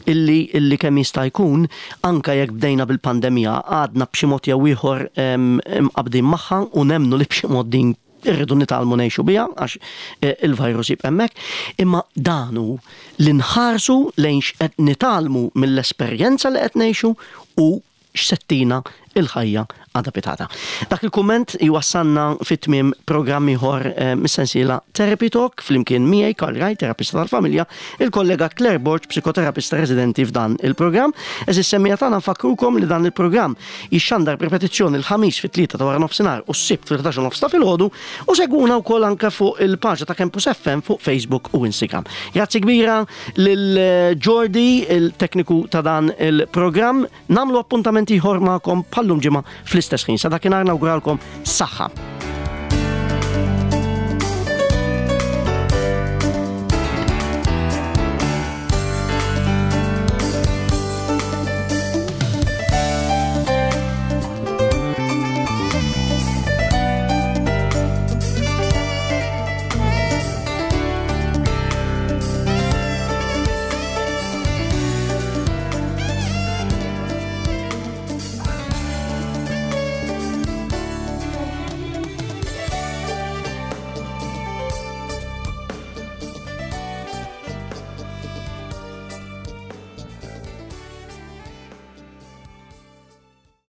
illi illi kemm jista' jkun anka jekk bdejna bil-pandemija għadna b'xi mod jew ieħor mqabdin magħha u nemmnu li b'xi mod din irridu nitgħallmu ngħixu biha għax il-virus jibqa' hemmhekk, imma dan hu li nħarsu lejn x'qed nitgħallmu mill-esperjenza li qed ngħixu u x'settina il-ħajja għadha pitata. Dak il-kumment jwassalna fit-tmiem programm ieħor mis-sensiela Therapy Talk flimkien miegħi Karl Raj, terapista tal-familja, il-kollega Claire Borg, psikoterapista residenti f'dan il-programm. Għeżież semmiegħa tagħna nfakkrukom li dan il-programm jixxandar b'ripetizzjoni l-Ħamis fit-tlieta ta' wara nofsinhar u s-Sibt fil-ħdax u nofs ta' filgħodu u segwuna wkoll anke fuq il-paġna ta' Campus F M fuq Facebook u Instagram. Grazzi kbira lil Jordi, il-tekniku ta' dan il-programm. Namlu appuntament ieħor magħkom bħallum ġimgħa fl-istess ħin. Sa dakinhar nawguralkom saħħa.